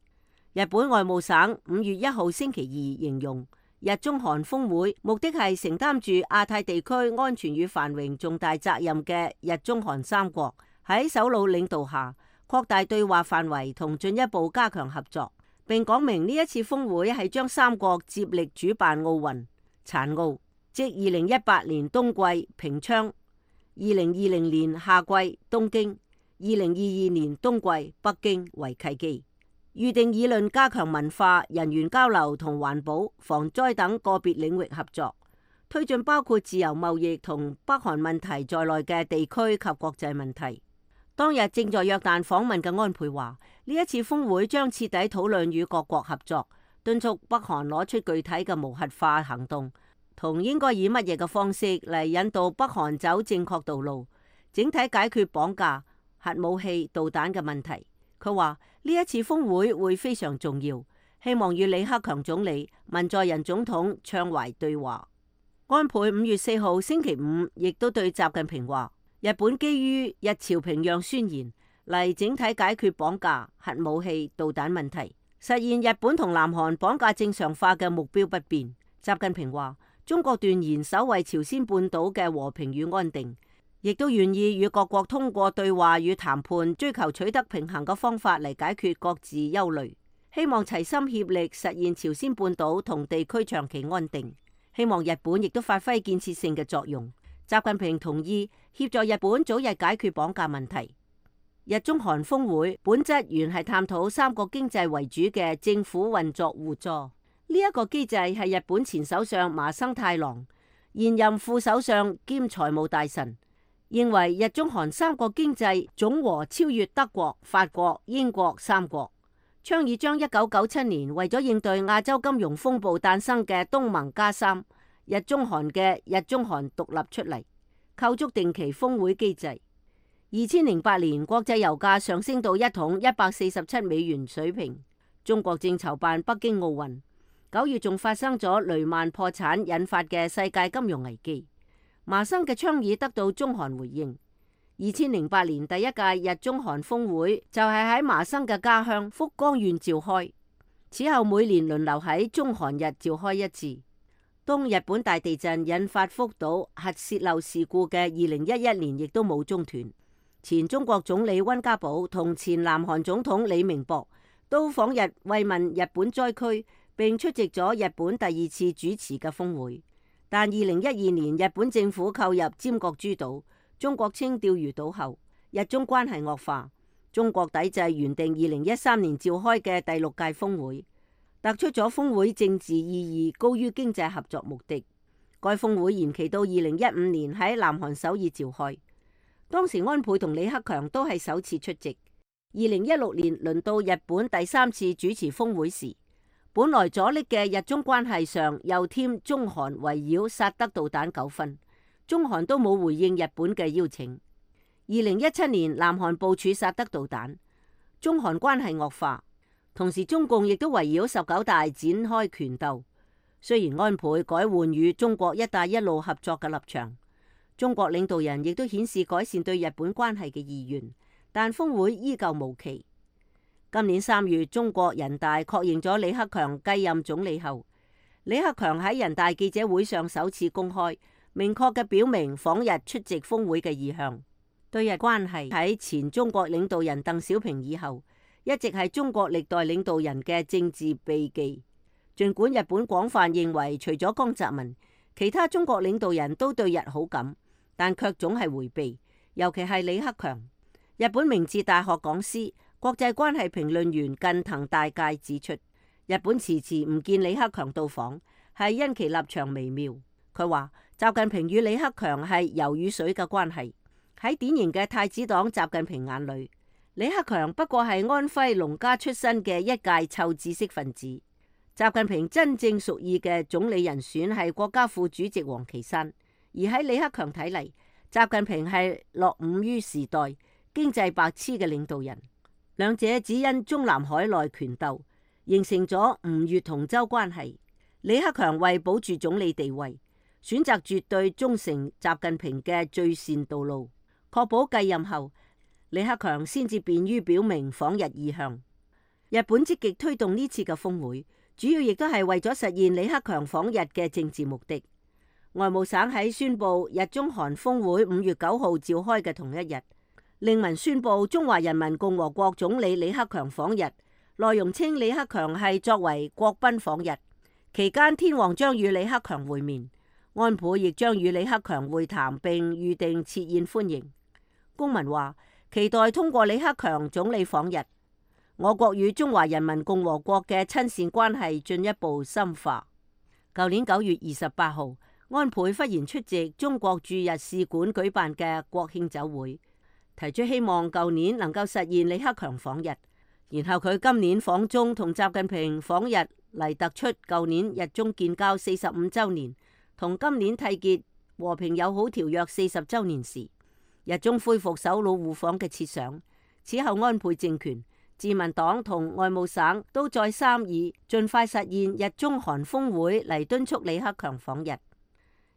日本外務省五月一號星期二形容，日中韓峰會目的係承擔住亞太地區安全與繁榮重大責任嘅日中韓三國喺首腦領導下擴大對話範圍同進一步加強合作，並講明呢一次峰會係將三國接力主辦奧運殘奧，即二零一八年冬季平昌、二零二零年夏季東京、二零二二年冬季北京為契機。預定議論加強文化、人員交流同環保、防災等個別領域合作，推進包括自由貿易同北韓問題在內嘅地區及國際問題。當日正在約旦訪問嘅安倍話，呢一次峰會將徹底討論與各國合作，敦促北韓攞出具體嘅無核化行動，同應該以乜嘢嘅方式嚟引導北韓走正確道路，整體解決綁架、核武器、導彈嘅問題。佢話呢一次峰會會非常重要，希望與李克強總理、文在寅總統暢懷對話。安倍五月四號星期五亦都對習近平話，日本基於日朝平壤宣言嚟整體解決綁架、核武器、導彈問題，實現日本同南韓綁架正常化嘅目標不變。習近平話，中國斷然守衛朝鮮半島嘅和平與安定，亦都願意與各國通過對話與談判，追求取得平衡嘅方法嚟解決各自憂慮，希望齊心協力實現朝鮮半島同地區長期安定。希望日本亦都發揮建設性嘅作用。習近平同意協助日本早日解決綁架問題。日中韓峰會本質原係探討三國經濟為主嘅政府運作互助，呢、這、一個機制係日本前首相麻生太郎、現任副首相兼財務大臣認為日中韓三國經濟總和超越德國、法國、英國三國，倡議將一九九七年為咗應對亞洲金融風暴誕生嘅東盟加三日中韓嘅日中韓獨立出嚟，構築定期峰會機制。二千零八年國際油價上升到一桶一百四十七美元水平，中國正籌辦北京奧運，九月仲發生咗雷曼破產引發嘅世界金融危機。麻生嘅倡議得到中韓回應。二千零八年第一屆日中韓峰會就係喺麻生嘅家鄉福岡縣召開，此後每年輪流喺中韓日召開一次。當日本大地震引發福島核泄漏事故嘅二零一一年亦都冇中斷。前中國總理溫家寶同前南韓總統李明博都訪日慰問日本災區，並出席咗日本第二次主持嘅峰會。但二零一二年日本政府購入尖閣諸島、中國稱釣魚島後，日中關係惡化，中國抵制原定二零一三年召開嘅第六屆峰會，突出咗峰會政治意義高於經濟合作目的。該峰會延期到二零一五年喺南韓首爾召開。當時安倍同李克強都係首次出席。二零一六年輪到日本第三次主持峰會時，本來阻力嘅日中關係上又添中韓圍繞薩德導彈糾紛，中韓都冇回應日本嘅邀請。二零一七年南韓部署薩德導彈，中韓關係惡化，同時中共亦都圍繞十九大展開拳鬥。雖然安倍改換與中國一帶一路合作嘅立場，中國領導人亦都顯示改善對日本關係嘅意願，但峰會依舊無期。今年三月，中國人大確認咗李克強繼任總理後，李克強喺人大記者會上首次公開明確嘅表明訪日出席峰會嘅意向。對日關係喺前中國領導人鄧小平以後，一直係中國歷代領導人嘅政治避忌。儘管日本廣泛認為除咗江澤民，其他中國領導人都對日好感，但卻總係迴避，尤其係李克強。日本明治大學講師、國際關係評論員近藤大介指出，日本遲遲唔見李克強到訪，係因其立場微妙。佢話習近平與李克強係油與水嘅關係。喺典型嘅太子黨習近平眼裏，李克強不過係安徽農家出身嘅一介臭知識分子。習近平真正屬意嘅總理人選係國家副主席王岐山，而喺李克強睇嚟，習近平係落伍於時代、經濟白痴嘅領導人。兩者只因中南海內權鬥，形成咗吳越同舟關係。李克強為保住總理地位，選擇絕對忠誠習近平嘅最善道路，確保繼任後李克強先至便於表明訪日意向。日本積極推動呢次嘅峰會，主要亦都係為咗實現李克強訪日嘅政治目的。外務省喺宣布日中韓峰會五月九號召開嘅同一日，令文宣布中華人民共和國總理李克強訪日，內容稱李克強係作為國賓訪日，期間天皇將與李克強會面，安倍亦將與李克強會談並預定設宴歡迎。公文話期待通過李克強總理訪日，我國與中華人民共和國嘅親善關係進一步深化。舊年九月二十八號，安倍忽然出席中國駐日使館舉辦嘅國慶酒會，提出希望舊年能夠實現李克強訪日。然後佢今年訪中同習近平訪日嚟突出舊年日中建交四十五周年同今年締結和平友好條約四十周年時，日中恢復首腦互訪嘅設想。此後安倍政權、自民黨同外務省都再三以盡快實現日中韓峰會嚟敦促李克強訪日。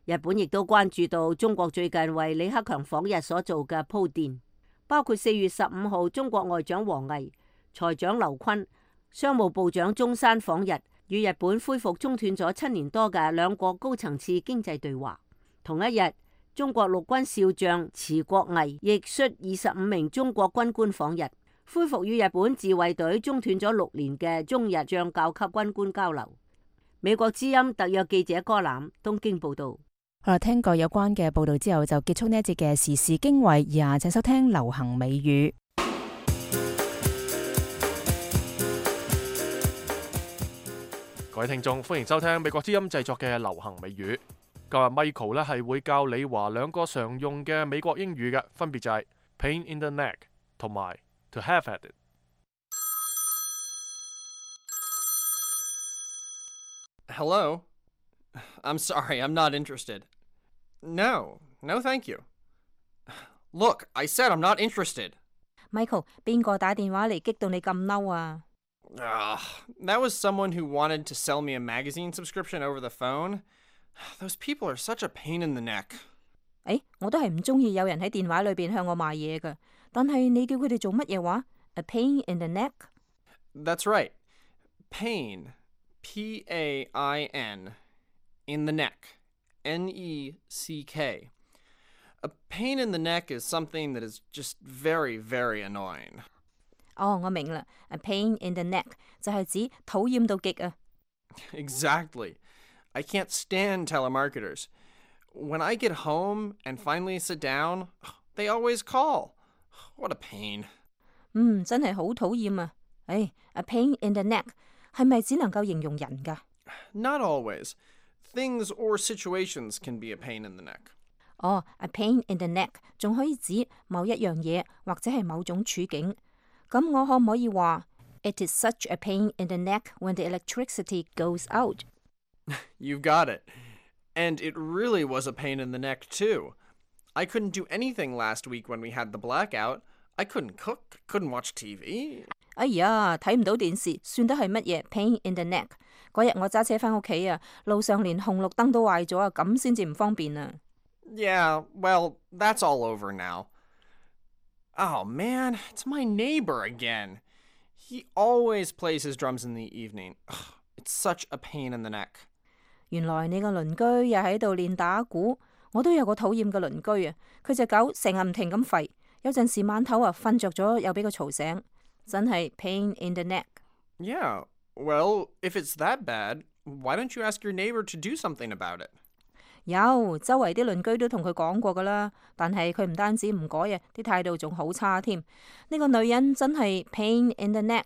日本亦都關注到中國最近為李克強訪日所做嘅鋪墊，包括四月十五號中國外長王毅、財長劉昆、商務部長中山訪日，與日本恢復中斷咗七年多嘅兩國高層次經濟對話。同一日，中國陸軍少將池國毅亦率二十五名中國軍官訪日，恢復與日本自衛隊中斷咗六年嘅中日將校級軍官交流。美國之音特約記者柯攬東京報道。好啦，聽過有關嘅報道之後，就結束呢一節嘅時事經緯，以下請收聽流行美語。各位聽眾，歡迎收聽美國之音製作嘅流行美語。今日 Michael 咧係會教李華兩個常用嘅美國英語嘅，分別就係 pain in the neck 同埋 to have at it。Hello? I'm sorry, I'm not interested. No, no thank you. Look, I said I'm not interested. Michael, 邊個打電話嚟激到你咁嬲啊？ Ugh, that was someone who wanted to sell me a magazine subscription over the phone. Those people are such a pain in the neck. 誒，我都係唔中意有人喺電話裏邊向我賣嘢㗎，但係你叫佢哋做乜嘢話？ A pain in the neck? That's right. Pain, P A I N, in the neck, N E C K. A pain in the neck is something that is just very, very annoying. 哦，我明啦。A pain in the neck 就係指討厭到極啊。Exactly. I can't stand telemarketers. When I get home and finally sit down, they always call. What a pain. 嗯，真係好討厭啊。誒，a pain in the neck 係咪只能夠形容人㗎？ Not always. Things or situations can be a pain in the neck. 哦，a pain in the neck 仲可以指某一樣嘢或者係某種處境。咁我可唔可以話 It is such a pain in the neck when the electricity goes out? You've got it. And it really was a pain in the neck, too. I couldn't do anything last week when we had the blackout. I couldn't cook, couldn't watch T V. 哎呀，睇唔到電視，算得係乜嘢 pain in the neck？ 嗰日我揸車返屋企啊，路上連紅綠燈都壞咗啊，咁先至唔方便啊。Yeah, well, that's all over now. Oh man, it's my neighbor again. He always plays his drums in the evening. Ugh, it's such a pain in the neck. 原來你個鄰居又喺度練打鼓，我都有個討厭嘅鄰居啊，佢隻狗成日唔停咁吠，有陣時晚頭啊瞓着咗又俾佢嘈醒，真係 pain in the neck。 Yeah, well, if it's that bad, why don't you ask your neighbor to do something about it? 有，周圍啲鄰居都同佢講過噶啦，但係佢唔單止唔改啊，啲態度仲好差添。呢個女人真係 pain in the neck。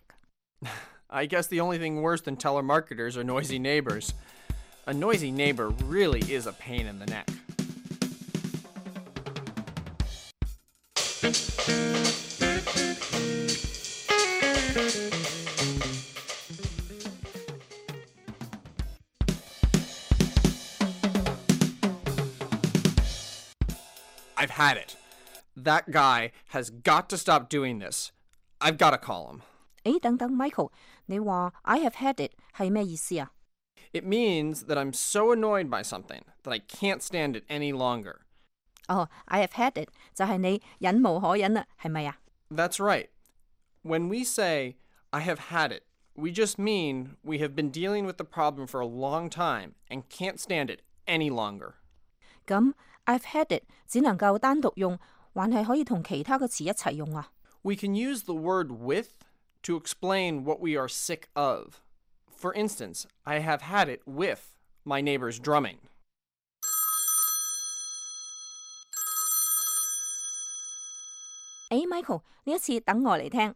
I guess the only thing worse than telemarketers are noisy neighbors. A noisy neighbor really is a pain in the neck. I've had it. That guy has got to stop doing this. I've got to call him. 誒，等等 ，Michael， 你話 I have had it 係咩意思啊？ It means that I'm so annoyed by something that I can't stand it any longer. 哦、oh, I have had it 就係你忍無可忍啦，係咪啊？ That's right. When we say, I have had it, we just mean we have been dealing with the problem for a long time and can't stand it any longer. 咁 I've had it 只能夠單獨用，還係可以同其他嘅詞一齊用啊？ We can use the word with to explain what we are sick of. For instance, I have had it with my neighbor's drumming. 誒 ，Michael， 呢一次等我嚟聽。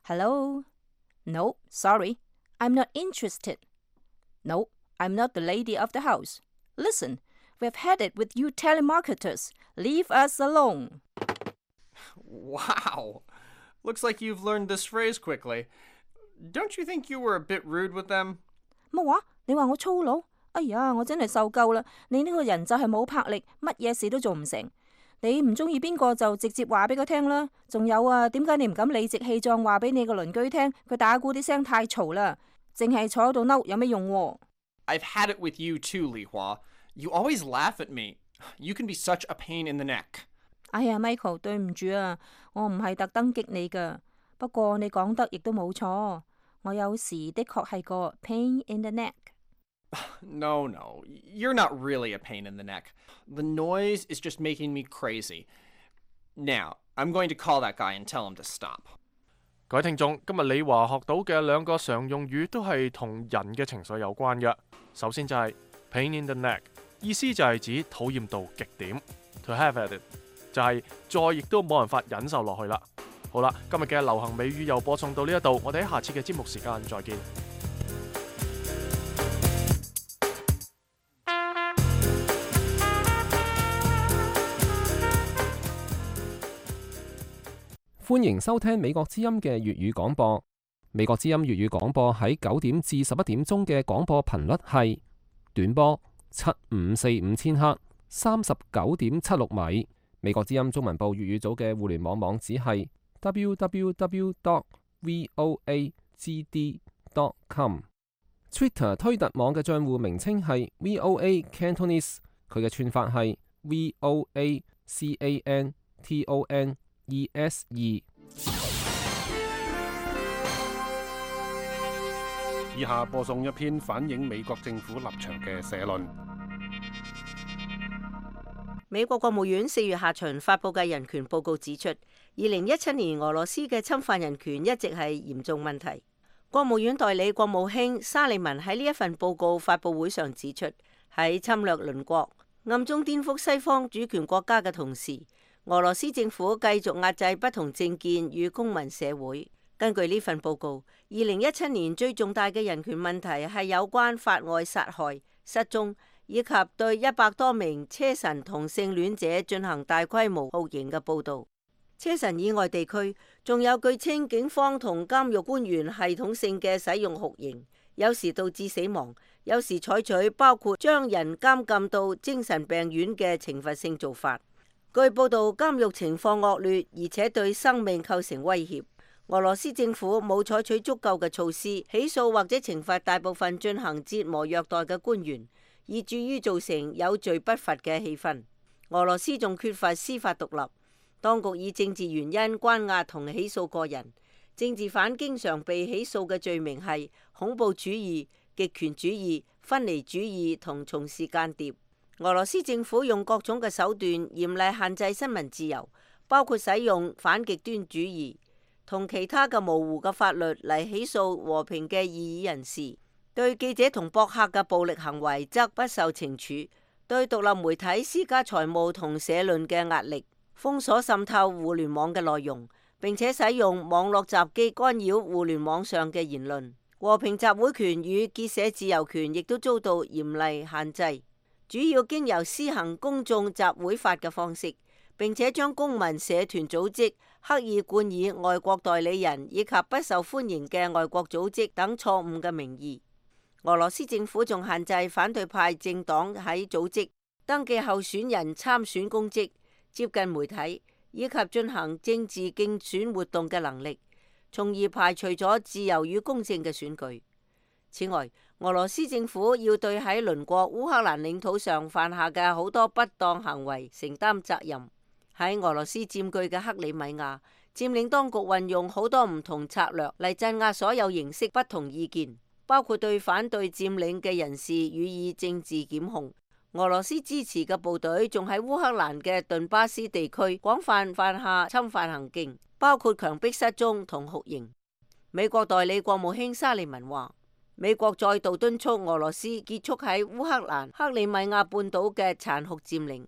Hello? No, sorry. I'm not interested. No, I'm not the lady of the house. Listen, we've had it with you telemarketers. Leave us alone. Wow. Looks like you've learned this phrase quickly. Don't you think you were a bit rude with them? 乜話？你話我粗魯？哎呀，我真係受夠啦！你呢個人就係冇魄力，乜嘢事都做唔成。你唔中意邊個就直接話俾佢聽啦。仲有啊，點解你唔敢理直氣壯話俾你個鄰居聽？佢打鼓啲聲太嘈啦，淨係坐喺度嬲有咩用喎？ I've had it with you too, Li Hua. You always laugh at me. You can be such a pain in the neck. 哎呀 ，Michael， 對唔住啊，我唔係特登激你噶。不過你講得亦都冇錯，我有時的確係個 pain in the neck。 No, no, you're not really a pain in the neck. The noise is just making me crazy. Now, I'm going to call that guy and tell him to stop. 各位聽眾，今日李華學到嘅兩個常用語都係同人嘅情緒有關嘅。首先就係 pain in the neck， 意思就係指討厭到極點。To have at it 就係再亦都冇辦法忍受落去啦。好啦，今日嘅流行美語又播送到呢一度，我哋喺下次嘅節目時間再見。歡迎收聽美國之音嘅粵語廣播。美國之音粵語廣播喺九點至十一點鐘嘅廣播頻率係短波七五四五千赫，三十九點七六米。美國之音中文部粵語組嘅互聯網網址係 double-u double-u double-u dot voa g d dot com。Twitter 推特網嘅賬戶名稱係 V O A Cantonese， 佢嘅串法係 V O A C A N T O N E S 二。以下播送一篇反映美國政府立場嘅社論。美國國務院四月下旬發布嘅人權報告指出，二零一七年俄羅斯嘅侵犯人權一直係嚴重問題。國務院代理國務卿沙利文喺呢一份報告發佈會上指出，喺侵略鄰國、暗中顛覆西方主權國家嘅同時，俄羅斯政府繼續壓制不同政見與公民社會。根據呢份報告，二零一七年最重大嘅人權問題係有關法外殺害、失蹤以及對一百多名車臣同性戀者進行大規模酷刑嘅報導。車臣以外地區仲有據稱警方同監獄官員系統性嘅使用酷刑，有時導致死亡，有時採取包括將人監禁到精神病院嘅懲罰性做法。據報導，監獄情況惡劣，而且對生命構成威脅。俄羅斯政府冇採取足夠嘅措施起訴或者懲罰大部分進行折磨虐待嘅官員，以至於造成有罪不罰嘅氣氛。俄羅斯仲缺乏司法獨立。當局以政治原因關押同起訴個人，政治犯經常被起訴嘅罪名係恐怖主義、極權主義、分離主義同從事間諜。俄羅斯政府用各種嘅手段嚴厲限制新聞自由，包括使用反極端主義同其他嘅模糊嘅法律嚟起訴和平嘅異議人士。對記者同博客嘅暴力行為則不受懲處，對獨立媒體施加財務同社論嘅壓力，封鎖滲透互聯網嘅內容，並且使用網絡襲擊干擾互聯網上嘅言論。和平集會權與結社自由權亦都遭到嚴厲限制，主要經由施行公眾集會法嘅方式，並且將公民社團組織刻意冠以外國代理人以及不受歡迎嘅外國組織等錯誤嘅名義。俄羅斯政府仲限制反對派政黨喺組織登記候選人參選公職、接近媒體以及進行政治競選活動嘅能力，從而排除咗自由與公正嘅選舉。此外，俄羅斯政府要對喺鄰國烏克蘭領土上犯下嘅好多不當行為承擔責任。喺俄羅斯佔據嘅克里米亞，佔領當局運用好多唔同策略嚟鎮壓所有形式不同意見，包括對反對佔領嘅人士予以政治檢控。俄羅斯支持嘅部隊仲喺烏克蘭嘅頓巴斯地區廣泛犯下侵犯行徑，包括強迫失蹤同酷刑。美國代理國務卿沙利文話，美國再度敦促俄羅斯結束喺烏克蘭克里米亞半島嘅殘酷佔領。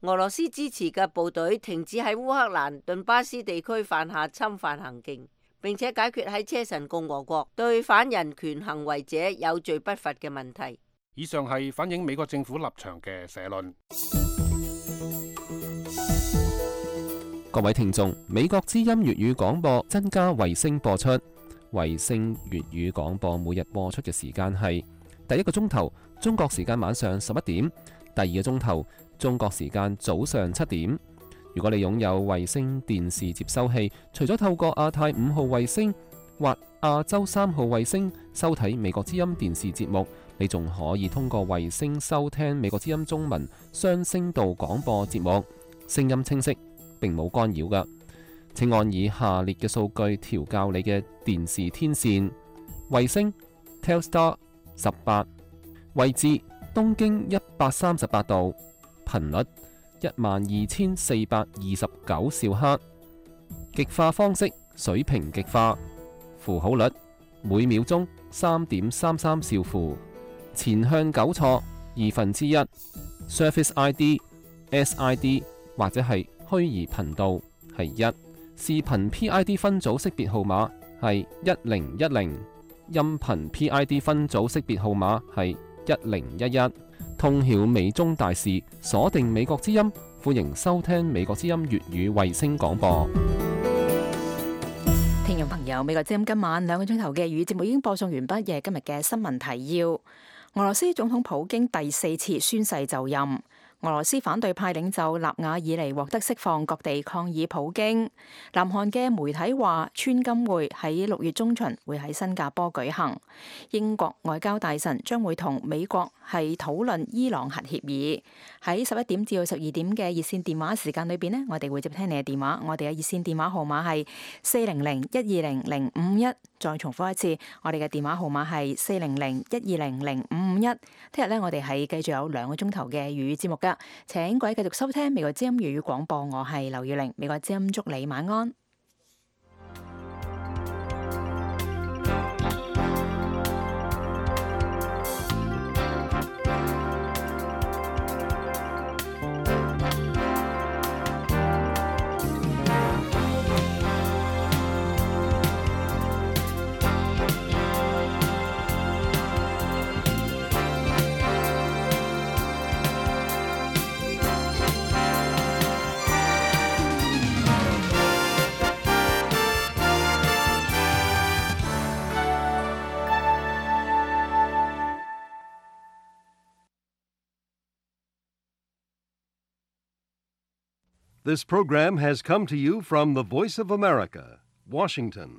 俄羅斯支持嘅部隊停止喺烏克蘭頓巴斯地區犯下侵犯行徑，並且解決喺車臣共和國對反人權行為者有罪不罰嘅問題。以上係反映美國政府立場嘅社論。各位聽眾，美國之音粵語廣播增加衛星播出，衛星粵語廣播每日播出嘅時間係第一個鐘頭中國時間晚上十一點，第二個鐘頭中國時間早上七點。如果你擁有衛星電視接收器，除咗透過亞太五號衛星或亞洲三號衛星收睇美國之音電視節目，你仲可以通過衛星收聽美國之音中文雙聲道廣播節目，聲音清晰，並冇干擾㗎。請按以下列嘅數據調校你嘅電視天線：衛星 Telstar 十八，位置東經一百三十八度，頻率一萬二千四百二十九兆赫，極化方式水平極化，符號率每秒鐘三點三三兆符，前向糾錯二分之一 ，Surface I D、S I D 或者係虛擬頻道係一，視頻 P I D 分組識別號碼係一零一零，音頻 P I D 分組識別號碼係一零一一。通曉美中大事，鎖定美國之音，歡迎收聽美國之音粵語衛星廣播。聽眾朋友，美國之音今晚兩個鐘頭嘅語節目已經播送完畢嘅今日嘅新聞提要。俄羅斯總統普京第四次宣誓就任。俄羅斯反對派領袖納瓦爾尼獲得釋放，各地抗議普京。南韓嘅媒體話，川金會喺六月中旬會喺新加坡舉行。英國外交大臣將會同美國係討論伊朗核協議。喺十一點至到十二點嘅熱線電話時間裏邊呢，我哋會接聽你嘅電話。我哋嘅熱線電話號碼係四零零一二零零五一。再重複一次，我哋嘅電話號碼係四零零一二零零五五一。聽日呢，我哋係繼續有兩個鐘頭嘅粵語節目噶，請各位繼續收聽美國之音粵語廣播，我係劉耀玲，美國之音祝你晚安。This program has come to you from the Voice of America, Washington.